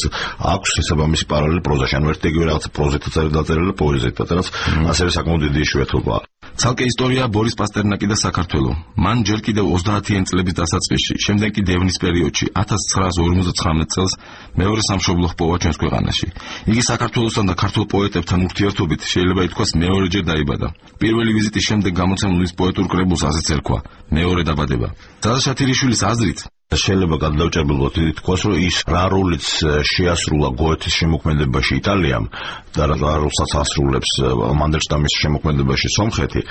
აქვს შესაბამისი პარალელი პროზაში. ანუ ერთ-ერთი რაღაცა პროზითაც არის დაწერილი, პოეზიითაც, რაც ასევე საკმაოდ დიდი იშვიათობაა. ცალკე ისტორია ბორის პასტერნაკი და საქართველო. მან ჯერ კიდევ 30-იან წლების დასაწყისში, შემდეგ კი დევნის პერიოდში 1959 წელს მეორე სამშობლო ჰპოვა ჩვენს ქვეყანაში. იგი საქართველოსთან და ქართულ პოეტებთან ურთიერთობით შეიძლება ითქვას მეორეჯერ დაიბადა. პირველი ვიზიტის შემდეგ გამოცემულ ის პოეტურ კრებულს ასეც ერქვა: მეორე დაბადება. ზაზა შათილიშვილის აზრით შეიძლება გადაუჭებელად ითქვას, რომ ის რა როლიც შეასრულა გოეთეს შემოქმედებაში იტალიამ და რა როლსაც ასრულებს მანდელშტამის შემოქმედებაში სომხეთი,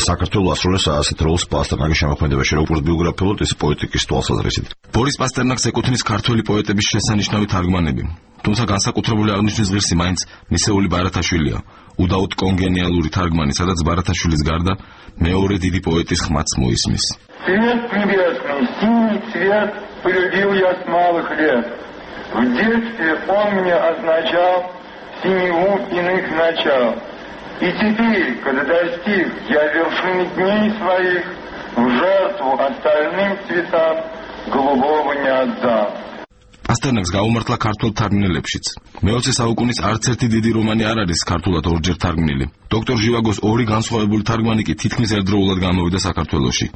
საქართველოს ასრულებს ასეთ როლს პასტერნაკის შემოქმედებაში, როგორც ბიოგრაფიულად, ისე პოეტიკის თვალსაზრისით. ბორის პასტერნაკს ეკუთვნის ქართველი პოეტების შესანიშნავი თარგმანები, თუმცა განსაკუთრებული აღნიშვნის ღირსი მაინც მისეული ბარათაშვილია, უდაოდ კონგენიალური თარგმანი, სადაც ბარათაშვილის გარდა მეორე დიდი პოეტის ხმაც მოისმის. Цвет небесный, синий цвет полюбил я с малых лет. В детстве он мне означал синеву иных начал. И теперь, когда достиг я вершины дней своих, в жертву остальным цветам голубого не отдам. პასტერნაკს გაუმართლა ქართულ თარგმნელებშიც. მე-20 საუკუნის არც ერთი დიდი რომანი არ არის ქართულად ორჯერ თარგმნილი. დოქტორ ჟივაგოს ორი განსხვავებული თარგმანი კი თითქმის ერთდროულად გამოვიდა საქართველოში.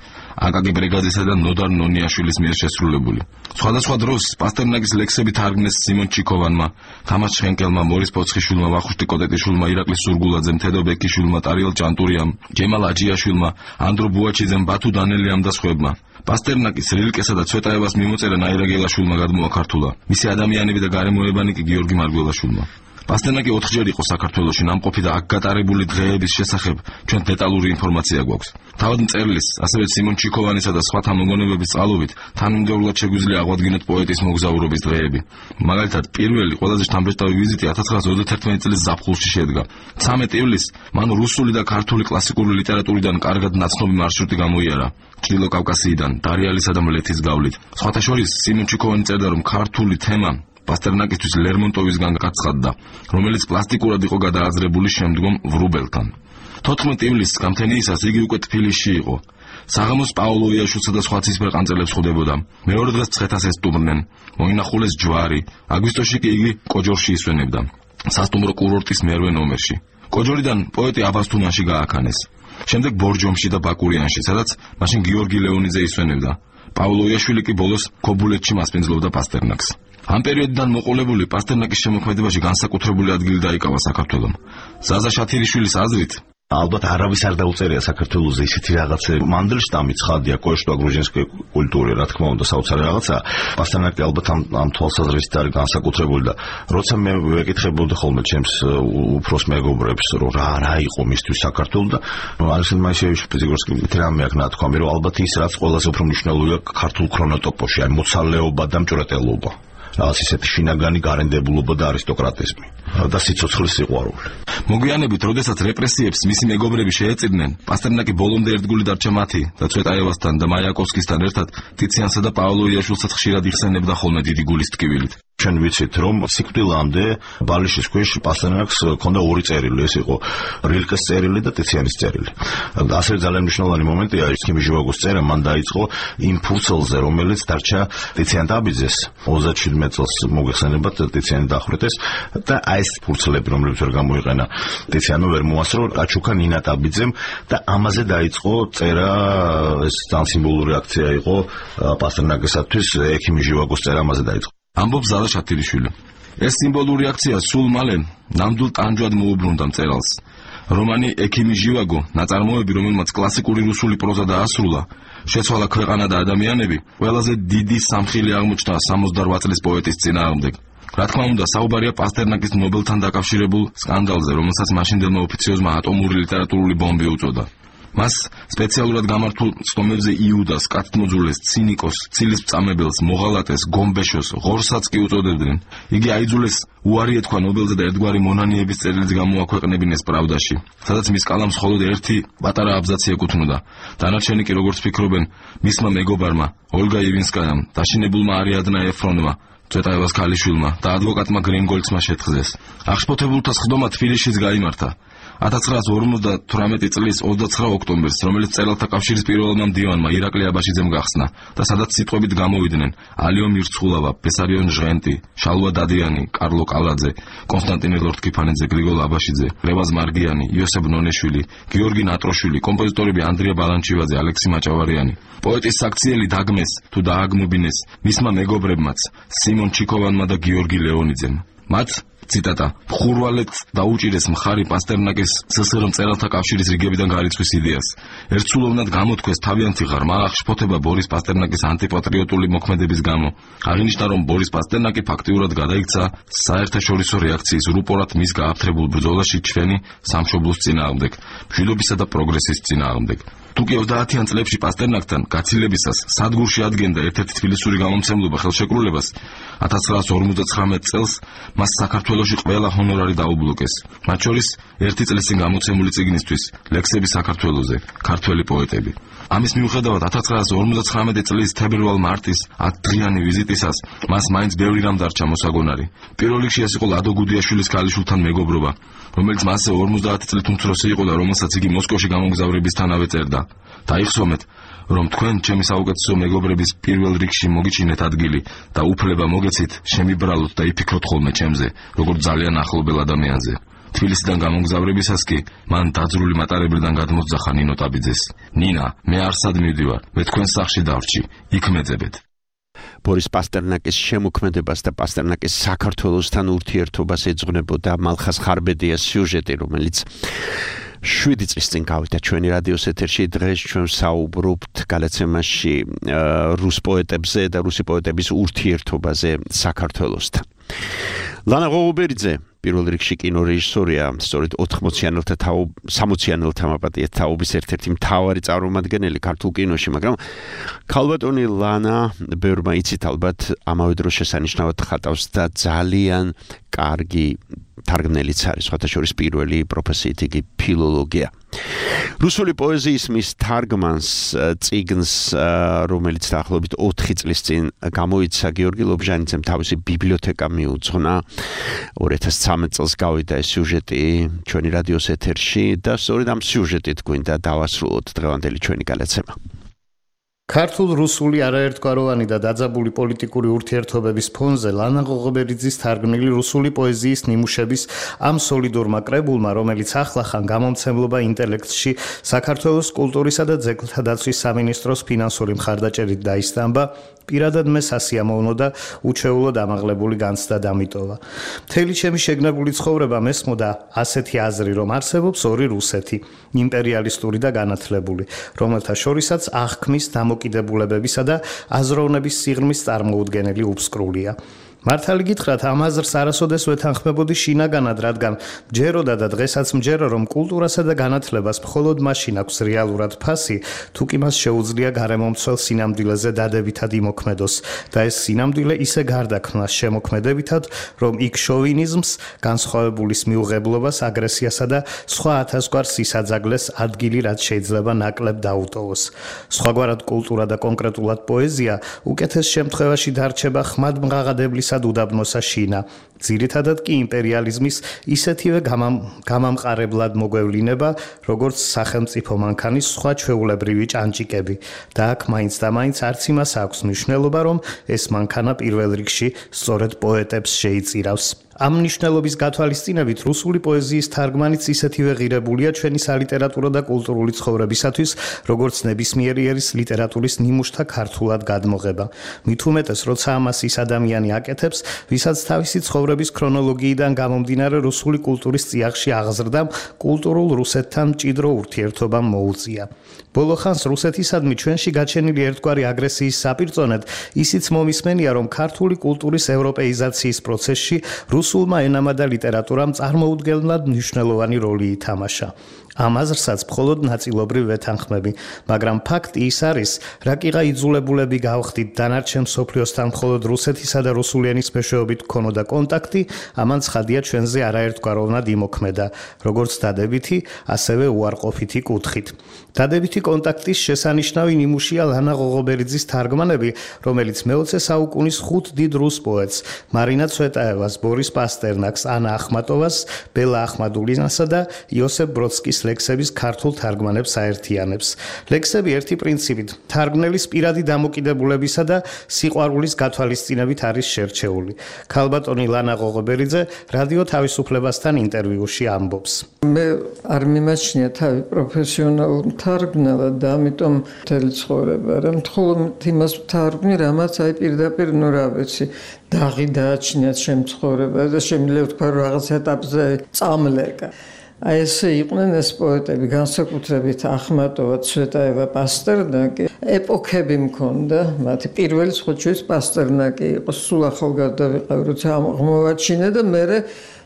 აკაკი ბრეგაძესა და ნოდარ ნონიაშვილის მიერ შესრულებული. სხვადასხვა დროს პასტერნაკის ლექსები თარგმნეს სიმონ ჩიქოვანმა, თამაშ შენკელმა, მორის პოცხიშვილმა, ვახუშტი კოტეტიშვილმა, ირაკლი სურგულაძემ, თედო ბეკიშვილმა, ტარიელ ჭანტურიამ, ჯემალ აჯიაშვილმა, ანდრო ბუაჩიძემ, ბათუ დანელიამ და სხვებმა. პასტერნაკის, რილკესა და ცვეტაევას მიმოწერა ნაირა გელაშვილმა გადმოაქართულა. მისი ადამიანები და გარემოებანი კი გიორგი მარგველაშვილმა. პასტერნაკი 4ჯერ იყო საქართველოში ნამყოფი და აქ გატარებული დღეების შესახებ ჩვენ დეტალური ინფორმაცია გვაქვს. თავად მწერლის, ასევე სიმონ ჩიქოვანისა და სხვათა მოგონებების წყალობით თანმიმდევრულად შეგვიძლია აღვადგინოთ პოეტის მოგზაურობის დღეები. მაგალითად, პირველი ყველაზე შთამბეჭდავი ვიზიტი 1931 წლის ზაფხულში შედგა. 13 ივლისს მან რუსული და ქართული კლასიკური ლიტერატურიდან კარგად ნაცნობი მარშრუტი გამოიარა. ჭრილო კავკასიიდან, დარიალისა და მლეთის გავლით. სხვათა შორის სიმონ ჩიქოვანი წერდა, რომ ქართული თემა პასტერნაკისთვის ლერმონტოვისგან გაცხადდა, რომელიც პლასტიკურად იყო გადააზრებული შემდგომ ვრუბელთან. 14 ივლისს გამთენიისას იგი უკვე თბილისში იყო. საღამოს პაოლოიაშვილსა და სხვა ცისფერ ყანწელებს ხვდებოდა. მეორე დღეს ცხეთას ესტუმრნენ. მოინახულეს ჯვარი. აგვისტოში კი იგი კოჯორში ისვენებდა. სასტუმრო კურორტის მერვე ნომერში. კოჯორიდან პოეტი აბასთუმანში გააქანეს. შემდეგ ბორჯომში და ბაკურიანში, სადაც მაშინ გიორგი ლეონიძე ისვენებდა. პავლო იაშვილი კი ბოლოს ქობულეთში მასპინძლობდა პასტერნაკს. ამ პერიოდიდან მოყოლებული პასტერნაკის შემოქმედებაში განსაკუთრებული ადგილი დაიკავა საქართველომ. ზაზა შათირიშვილის აზრით ალბათ არავის არ დაუწერია საქართველოს ისეთი რაღაცა მანდელშტამი ცხადია კოშტო გრუზინსკი კულტურა რა თქმა უნდა საოცარი რაღაცა პასტერნაკი ალბათ ამ თვალსაზრისით არის განსაკუთრებული და როცა მე ვეკითხებოდი ხოლმე ჩემს უფროს მეგობრებს რომ რა იყო მისთვის საქართველო და ალექსანდრ მაისეევიჩ პეტროგორსკი მითრამე აქ ნათქვამი რომ ალბათ ის რაც ყველაზე უფრო მნიშვნელოვანია ქართულ ქრონოტოპოში აი მოცალეობა და მჭვრეტელობა რაღაც ისეთი შინაგანი გარემდებულობა და არისტოკრატიზმი და სიცოცხლის სიყვარული. მოგვიანებით, როდესაც რეპრესიებს მისი მეგობრები შეეწირნენ, პასტერნაკი ბოლომდე ერთგული დარჩა მათი და ცვეტაევასთან და მაიაკოვსკისთან ერთად ტიციანსა და პავლო იაშვილსაც ხშირად იხსენებდა ხოლმე დიდი გულის ტკივილით. ჩვენ ვიცით რომ სიკვდილამდე ბალიშის ქვეშ პასტერნაკს ჰქონდა ორი წერილი, ეს იყო რილკეს წერილი და ტიციანის წერილი. ასევე ძალიან მნიშვნელოვანი მომენტია ექიმი ჟივაგოს წერა მან დაიწყო იმ ფურცელზე, რომელიც დარჩა ტიციან დაბიძეს 37 წელს მოგეხსენებათ ტიციანი დახვრეტეს და აი ეს ფურცლები რომლებიც ვერ გამოიყენა ტიციანო ვერ მოასწრო აჩუქა ნინა დაბიძემ და ამაზე დაიწყო წერა ეს ძალიან სიმბოლური აქცია იყო პასტერნაკისათვის ექიმი ჟივაგოს წერა ამაზე დაიწყო. ამბობს ზაზა შათირიშვილი. ეს სიმბოლური აქცია სულ მალე ნამდვილ ტანჯვად მოუბრუნდა მწერალს. რომანი ექიმი ჟივაგო, ნაწარმოები, რომელმაც კლასიკური რუსული პროზა დაასრულა, შეცვალა ქვეყანა და ადამიანები, ყველაზე დიდი სამხილი აღმოჩნდა 68 წლის პოეტის წინააღმდეგ. რა თქმა უნდა, საუბარია პასტერნაკის ნობელთან დაკავშირებულ სკანდალზე, რომელსაც მაშინდელმა ოფიციოზმა ატომური ლიტერატურული ბომბი უწოდა. მას სპეციალურად გამართულ ცნობებზე იუდას, კათმოძულეს, ცინიკოს, ცილის მწამებელს, მოღალატეს, გომბეშოს, ღორსაც კი უწოდებდნენ. იგი აიძულეს უარი ეთქვა ნობელზე და ერთგვარი მონანიების წერილიც გამოაქვეყნებინეს პრავდაში, სადაც მის კალამს მხოლოდ ერთი პატარა აბზაცი ეკუთვნოდა. დანარჩენი კი როგორც ფიქრობენ, მისმა მეგობარმა, ოლგა ივინსკაიამ, დაშინებულმა არიადნა ეფრონმა, ცვეტაევას ქალიშვილმა და ადვოკატმა გრინგოლცმა შეთხზეს. აღშფოთებულთა სხდომა თბილისშიც გაიმართა. 1958 წლის 29 ოქტომბერს, რომელიც წერალთა კავშირის პირველმა მდივანმა ირაკლი აბაშიძემ გახსნა და სადაც სიტყვებით გამოვიდნენ ალიო მირცხულავა, ბესარიონ ჟღენტი, შალვა დადიანი, კარლო კალაძე, კონსტანტინე ლორთქიფანიძე, გრიგოლ აბაშიძე, რევაზ მარგიანი, იოსებ ნონეშვილი, გიორგი ნატროშვილი, კომპოზიტორები ანდრია ბალანჩივაძე, ალექსი მაჭავარიანი. პოეტის საქციელი დაგმეს თუ დააგმობინეს მისმა მეგობრებმაც, სიმონ ჩიქოვანმა და გიორგი ლეონიძემ. მათ ციტატა ხურვალეთ დაუჭირეს მხარი პასტერნაკის СССР მწერალთა კავშირის რიგებიდან გარიცხვის იდეას. ერთსულოვნად გამოთქვეს თავიანთი ღრმა აღშფოთება ბორის პასტერნაკის ანტიპატრიოტული მოქმედების გამო. აღინიშნა, რომ ბორის პასტერნაკი ფაქტიურად გადაიქცა საერთაშორისო რეაქციის რუპორად მის გააფთრებულ ბრძოლაში ჩვენი სამშობლოს წინააღმდეგ, მშვიდობისა და პროგრესის წინააღმდეგ. თუკი 30-იან წლებში პასტერნაკთან გაცილებისას სადგურში ადგენდა ერთ-ერთი თბილისური გამომცემლობა ხელშეკრულებას, 1959 წელს მას საქართველოში ყველა ჰონორარი დაუბლოკეს. მათ შორის ერთი წლის წინ გამოცემული წიგნისთვის ლექსები საქართველოზე, ქართველი პოეტები. ამის მიუხედავად 1959 წლის თებერვალ-მარტის 10 დღიანი ვიზიტისას მას მაინც ბევრი რამ დარჩა მოსაგონარი. პირველ რიგში ეს იყო ლადო გუდიაშვილის ქალიშვილთან მეგობრობა, რომელიც მასზე 50 წლით უმცროსი იყო და რომელსაც იგი მოსკოვში გამოგზავრებისთანავე წერდა. დაიხსომეთ, რომ თქვენ ჩემი საუკეთესო მეგობრების პირველ რიგში მოგიჩინეთ ადგილი და უფლება მოგეცით შემიბრალოთ და იფიქროთ ხოლმე ჩემზე, როგორც ძალიან ახლობელ ადამიანზე. თბილისიდან გამოგზავრებისას კი მან დაძრული მატარებლიდან გადმოძახა ნინო ტაბიძეს. ნინა, მე არსად მივდივარ, მე თქვენ სახლში დავრჩი, იქ მეძებეთ. ბორის პასტერნაკის შემოქმედებას და პასტერნაკის საქართველოსთან ურთიერთობას ეძღვნებოდა მალხას ხარბედიას სიუჟეტი, რომელიც 7 წლის წინ გავიდა ჩვენი რადიოს ეთერში. დღეს ჩვენ საუბრობთ გადაცემაში რუს პოეტებზე და რუსი პოეტების ურთიერთობაზე საქართველოსთან. ლანა ღოღუბერიძე პირველ რიგში კინორეჟისორია, სწორედ 60-იანელთა მაპატიეთ თაობის ერთ-ერთი მთავარი წარმომადგენელი ქართულ კინოში, მაგრამ ქალბატონი ლანა ბევრმა იცით ალბათ ამავე დროს შესანიშნავად ხატავს და ძალიან კარგი თარგმნელიც არის, სხვათა შორის პირველი პროფესიით იგი ფილოლოგია. რუსული პოეზიის მის თარგმანს წიგნს, რომელიც დაახლოებით 4 წლის წინ გამოიცა გიორგი ლობჟანიძემ თავისი ბიბლიოთეკა მიუძღვნა. 2013 წელს გავიდა ეს სიუჟეტი ჩვენი რადიოს ეთერში და სწორედ ამ სიუჟეტით გვინდა დავასრულოთ დღევანდელი ჩვენი გადაცემა. ქართულ-რუსული არაერთგვაროვანი და დაძაბული პოლიტიკური ურთიერთობების ფონზე ლანა ღოღობერიძის თარგმნილი რუსული პოეზიის ნიმუშების ამ სოლიდურმა კრებულმა, რომელიც ახლახან გამომცემლობა ინტელექტში საქართველოს კულტურისა და ძეგლთა დაცვის სამინისტროს ფინანსური მხარდაჭერით დაისტამბა, პირადად მე სასიამოვნო და უჩვეულოდ ამაღლებული განცდა დამიტოვა. მთელი ჩემი შეგნებული ცხოვრება მესმოდა ასეთი აზრი, რომ არსებობს ორი რუსეთი, იმპერიალისტური და განათლებული, რომელთა შორისაც აღქმის დამოკიდებულებებისა და აზროვნების სიღრმის წარმოუდგენელი უფსკრულია. მართალი გითხრათ, ამ აზრს არასოდეს ვეთანხმებოდი შინაგანად, რადგან ჯეროდა და დღესაც მჯერა, რომ კულტურასა და განათლებას მხოლოდ მაშინ აქვს რეალურად ფასი, თუ კი მას შეუძლია გარემომცველ სინამდვილეზე დადებითად იმოქმედოს და ეს სინამდვილე ისე გარდაქმნას შემოქმედებითად, რომ იქ შოვინიზმს, განსხვავებულის მიუღებლობას, აგრესიასა და სხვა ათასგვარ სისაძაგლეს ადგილი, რაც შეიძლება ნაკლებ დაუტოვოს. სხვაგვარად კულტურა და კონკრეტულად პოეზია უკეთეს შემთხვევაში დარჩება ხმადმღაღადებლის უდაბნოსა შინა. ძირითადად კი იმპერიალიზმის ისეთივე გამამყარებლად მოგვევლინება, როგორც სახელმწიფო მანქანის სხვა ჩვეულებრივი ჭანჭიკები. და აქ მაინც და მაინც არც იმას აქვს მნიშვნელობა, რომ ეს მანქანა პირველ რიგში სწორედ პოეტებს შეიწირავს. ამ მნიშვნელობის გათვალისწინებით რუსული პოეზიის თარგმანიც ისეთივე ღირებულია ჩვენი სალიტერატურო და კულტურული ცხოვრებისათვის, როგორც ნებისმიერი ერის ლიტერატურის ნიმუშთა ქართულად გადმოღება. მით უმეტეს, როცა ამას ის ადამიანი აკეთებს, ვისაც თავისი ცხოვრების ქრონოლოგიიდან გამომდინარე რუსული კულტურის წიაღში აღზრდამ კულტურულ რუსეთთან მჭიდრო ურთიერთობამ მოუწია. ბოლო ხანს რუსეთისადმი ჩვენში გაჩენილი ერთგვარი აგრესიის საპირწონედ ისიც მომისმენია, რომ ქართული კულტურის ევროპეიზაციის პროცესში რუსულმა ენამ და ლიტერატურამ წარმოუდგენლად მნიშვნელოვანი როლი ითამაშა. ამ აზრსაც მხოლოდ ნაწილობრივ ვეთანხმები, მაგრამ ფაქტი ის არის, რაკიღა იძულებულები გავხდით დანარჩენ მსოფლიოსთან მხოლოდ რუსეთისა და რუსული ენის მეშვეობით გქონოდა კონტაქტი, ამან ცხადია ჩვენზე არაერთგვაროვნად იმოქმედა, როგორც დადებითი, ასევე უარყოფითი კუთხით. დადებითი კონტაქტის შესანიშნავი ნიმუშია ლანა ღოღობერიძის თარგმანები, რომელიც მე-20 საუკუნის 5 დიდ რუს პოეტს, მარინა ცვეტაევას, ბორის პასტერნაკს, ანა ახმატოვას, ბელა ახმადულინასა და იოსებ ბროდსკის ლექსების ქართულ თარგმანებს აერთიანებს. ლექსები ერთი პრინციპით, თარგმნელის პირადი დამოკიდებულებისა და სიყვარულის გათვალისწინებით არის შერჩეული. ქალბატონი ლანა ღოღობერიძე რადიო თავისუფლებასთან ინტერვიუში ამბობს. მე არ მიმაჩნია თავი პროფესიონალურ თარგმნელად და ამიტომ მთელი ცხოვრება რა მხოლოდ იმას ვთარგმნი, რამაც აი პირდაპირ ნუ რა ვიცი, დაღი დააჩნიათ ჩემ ცხოვრებაზე და შემიძლია ვთქვა რომ რაღაც ეტაპზე წამლეკა. აი ესე იყვნენ ეს პოეტები, განსაკუთრებით ახმატოვა, ცვეტაევა, პასტერნაკი. ეპოქები მქონდა, მათი პირველი ხოჩვის პასტერნაკი იყო, სულ ახალგაზრდა ვიყავ, როცა აღმოვაჩინე და მე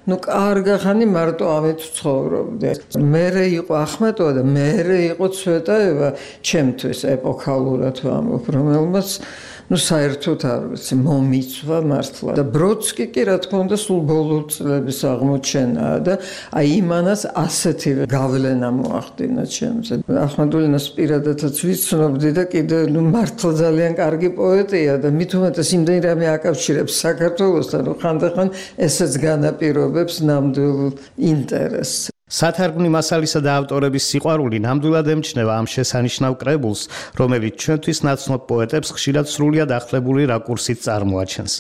კარგა ხანი მარტო ამით ცხოვრობდი. მერე იყო ახმატოვა და მერე იყო ცვეტაევა, ჩემთვის ეპოქალურად ვამბობ, რომელმაც საერთოდ არ ვიცი, მომიცვა მართლა. და ბროდსკი კი რა თქმა უნდა სულ ბოლო წლების აღმოჩენაა და აი იმანაც ასეთივე გავლენა მოახდინა ჩემზე. ახმადულინას პირადადაც ვიცნობდი და კიდე მართლა ძალიან კარგი პოეტია და მით უმეტეს იმდენი რამე აკავშირებს საქართველოსთან, რომ ხანდახან ესეც განაპირობებს ნამდვილ ინტერესს. სათარგმნი მასალისა და ავტორების სიყვარული ნამდვილად ემჩნევა ამ შესანიშნავ კრებულს, რომელიც ჩვენთვის ნაცნობ პოეტებს ხშირად სრულიად ახლებული რაკურსით წარმოაჩენს.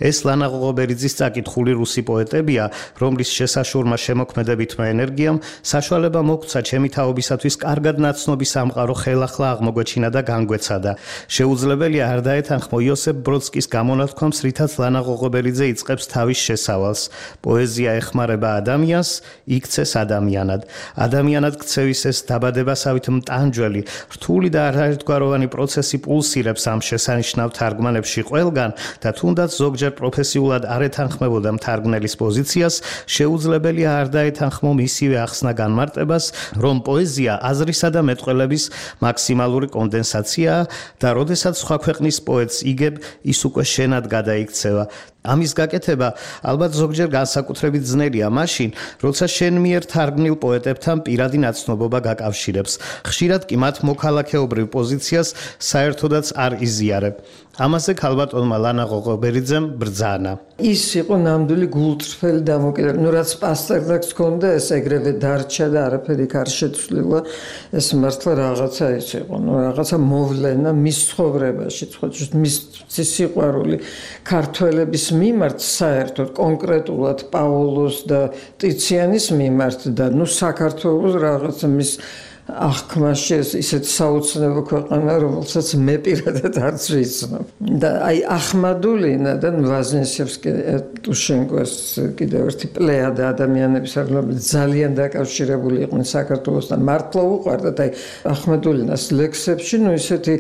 ეს ლანა ღოღობერიძის წაკითხული რუსი პოეტებია, რომლის შესაშურმა შემოქმედებითმა ენერგიამ საშუალება მოგცა ჩემი თაობისათვის კარგად ნაცნობი სამყარო ხელახლა აღმოგვეჩინა და განგვეცადა. შეუძლებელია არ დაეთანხმო იოსებ ბროდსკის გამონათქვამს, რითაც ლანა ღოღობერიძე იწყებს თავის შესავალს. პოეზია ეხმარება ადამიანს, იქცეს ადამიანად ქცევის ეს დაბადებასავით მტანჯველი, რთული და არაერთგვაროვანი პროცესი პულსირებს ამ შესანიშნავ თარგმანებში ყველგან და თუნდაც ზოგჯერ პროფესიულად არ ეთანხმებოდა თარგმნელის პოზიციას, შეუძლებელია არ დაეთანხმო მისივე ახსნა განმარტებას, რომ პოეზია აზრისა და მეტყველების მაქსიმალური კონდენსაციაა და როდესაც სხვა ქვეყნის პოეტს იგებ, ის უკვე შენად გადაიქცევა. ამის გაკეთება ალბათ ზოგჯერ განსაკუთრებით ძნელია მაშინ, როცა შენ მიერ თარგმნილ პოეტებთან პირადი ნაცნობობა გაკავშირებს. ხშირად კი მათ მოქალაქეობრივ პოზიციას საერთოდაც არ იზიარებ. ამაზე ქალბატონმა ლანა ღოღობერიძემ ბრძანა. ის იყო ნამდვილი გულწრფელი დამოკიდებული. ნუ რაც პასტერნაკს ჰქონდა, ეს ეგრევე დარჩა და არაფერი არ შეცვლილა. ეს მართლა რაღაცა ის იყო, ნუ რაღაცა მოვლენა მის ცხოვრებაში, მის სიყვარული ქართველების მიმართ საერთოდ კონკრეტულად პაოლოს და ტიციანის მიმართ და ნუ საქართველოს რაღაცა მის აღქმაში ისეთ საოცნებო ქვეყანა, რომელსაც მე პირადად არც ვიცნობ. და აი ახმადულინა და ვაზნესევსკი ტუშენკოს კიდევ ერთი პლეიადა ადამიანების, რომლებიც ძალიან დაკავშირებული იყვნენ საქართველოსთან, მართლა უყვარდათ აი ახმადულინას ლექსებში, ნუ ისეთი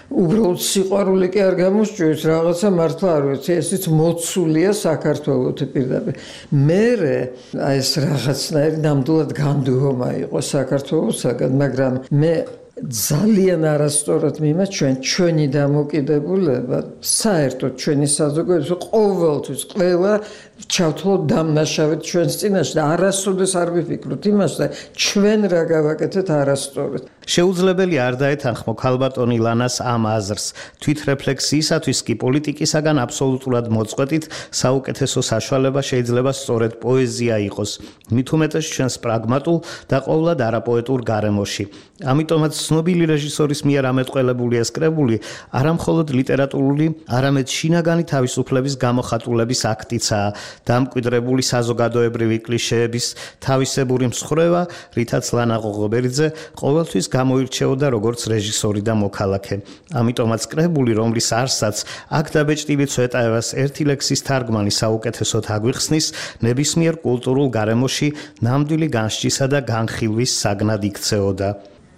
უბრალოდ სიყვარული კი არ გამოსჭირს, რაღაცა მართლა არ ვიცი, ესეც მოცულია საქართველოს პირდაპირ. მერე აი ეს რაღაცნაირი ნამდვილად განდუღომა იყო საქართველოსაგან, მაგრამ მე ძალიან არასწორად მიმაჩვენ ჩვენი დამოკიდებულება, საერთოდ ჩვენი საზოგადოება ყოველთვის ყველა ჩავთვალოთ დამნაშავედ ჩვენს წინაშე და არასოდეს არ ვიფიქროთ იმასზე, ჩვენ რა გავაკეთეთ არასწორად. შეუძლებელი არ დაეთანხმო ქალბატონი ლანას ამ აზრს. თვითრეფლექსიისათვის კი პოლიტიკისაგან აბსოლუტურად მოწყვეტით საუკეთესო საშუალება შეიძლება სწორედ პოეზია იყოს. მით უმეტეს ჩვენს პრაგმატულ და ყოვლად არაპოეტურ გარემოში. ამიტომაც ცნობილი რეჟისორის მიერ ამეტყველებული ეს კრებული არამხოლოდ ლიტერატურული, არამედ შინაგანი თავისუფლების გამოხატულების აქტიცაა, დამკვიდრებული საზოგადოებრივი კლიშეების თავისებური მსხრევა, რითაც ლანა ღოღობერიძე ყოველთვის გამოირჩეოდა როგორც რეჟისორი და მოქალაქე. ამიტომაც კრებული, რომლის არსსაც აქ დაბეჭდილი ცვეტაევას ერთი ლექსის თარგმანი საუკეთესოდ აგვიხსნის, ნებისმიერ კულტურულ გარემოში ნამდვილი განსჯისა და განხილვის საგნად იქცეოდა.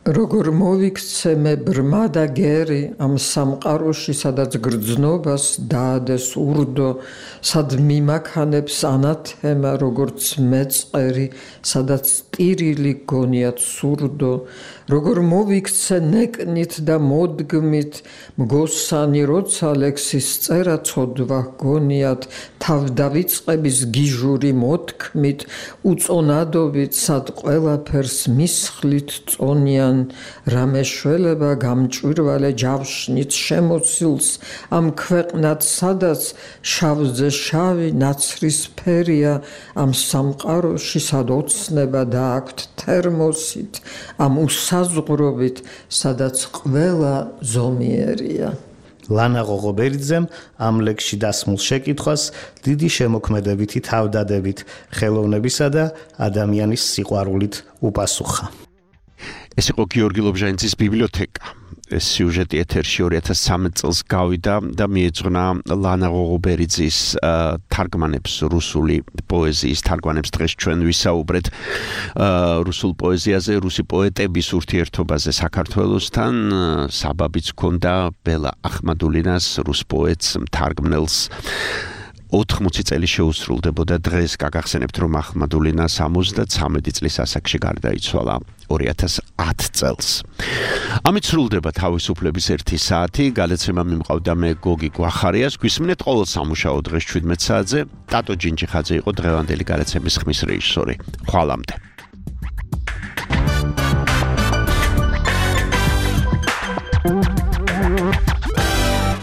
როგორ მოვიქცე მე ბრმა და გერი ამ სამყაროში, სადაც გრძნობას დაადეს ურდო, სად მიმაქანებს ანათემა, როგორც მეწყერი, სადაც ტირილი გონიათ სურდო, როგორ მოვიქცე ნეკნით და მოდგმით, მგოსანი როცა ლექსის წერა ცოდვა გონიათ, თავ დავიწყების გიჟური მოთქმით, უწონადობით, სად ყველაფერს მისხლით წონიან, რამე შველება გამჭვირვალე ჯავშნით შემოცილს, ამ ქვეყნად სადაც შავზე შავი ნაცრისფერია, ამ სამყაროში სად ოცნება დააქვთ თერმოსით, ამ უსაზღვრობით, სადაც ყველა ზომიერია. ლანა ღოღობერიძემ ამ ლექსში დასმულ შეკითხვას დიდი შემოქმედებითი თავდადებით, ხელოვნებისა და ადამიანის სიყვარულით უპასუხა. ეს იყო გიორგი ლობჟანიძის ბიბლიოთეკა. ეს სიუჟეტი ეთერში 2013 წელს გავიდა და მიეძღვნა ლანა ღოღობერიძის თარგმანებს, რუსული პოეზიის თარგმანებს. დღეს ჩვენ ვისაუბრეთ რუსულ პოეზიაზე, რუსი პოეტების ურთიერთობაზე საქართველოსთან. საბაბიც ჰქონდა ბელა ახმადულინას, რუს პოეტს, მთარგმნელს 80 წელი შეუსრულდებოდა დღეს. გაგახსენებთ, რომ ახმადულინა 73 წლის ასაკში გარდაიცვალა 2010 წელს. ამით სრულდება თავისუფლების 1 საათი. გადაცემა მიმყავდა მე გოგი გვახარიას. გვისმენთ ყოველ სამუშაო დღეს 17 საათზე. ტატო ჯინჯიხაძე იყო დღევანდელი გადაცემის ხმის რეჟისორი. ხვალამდე.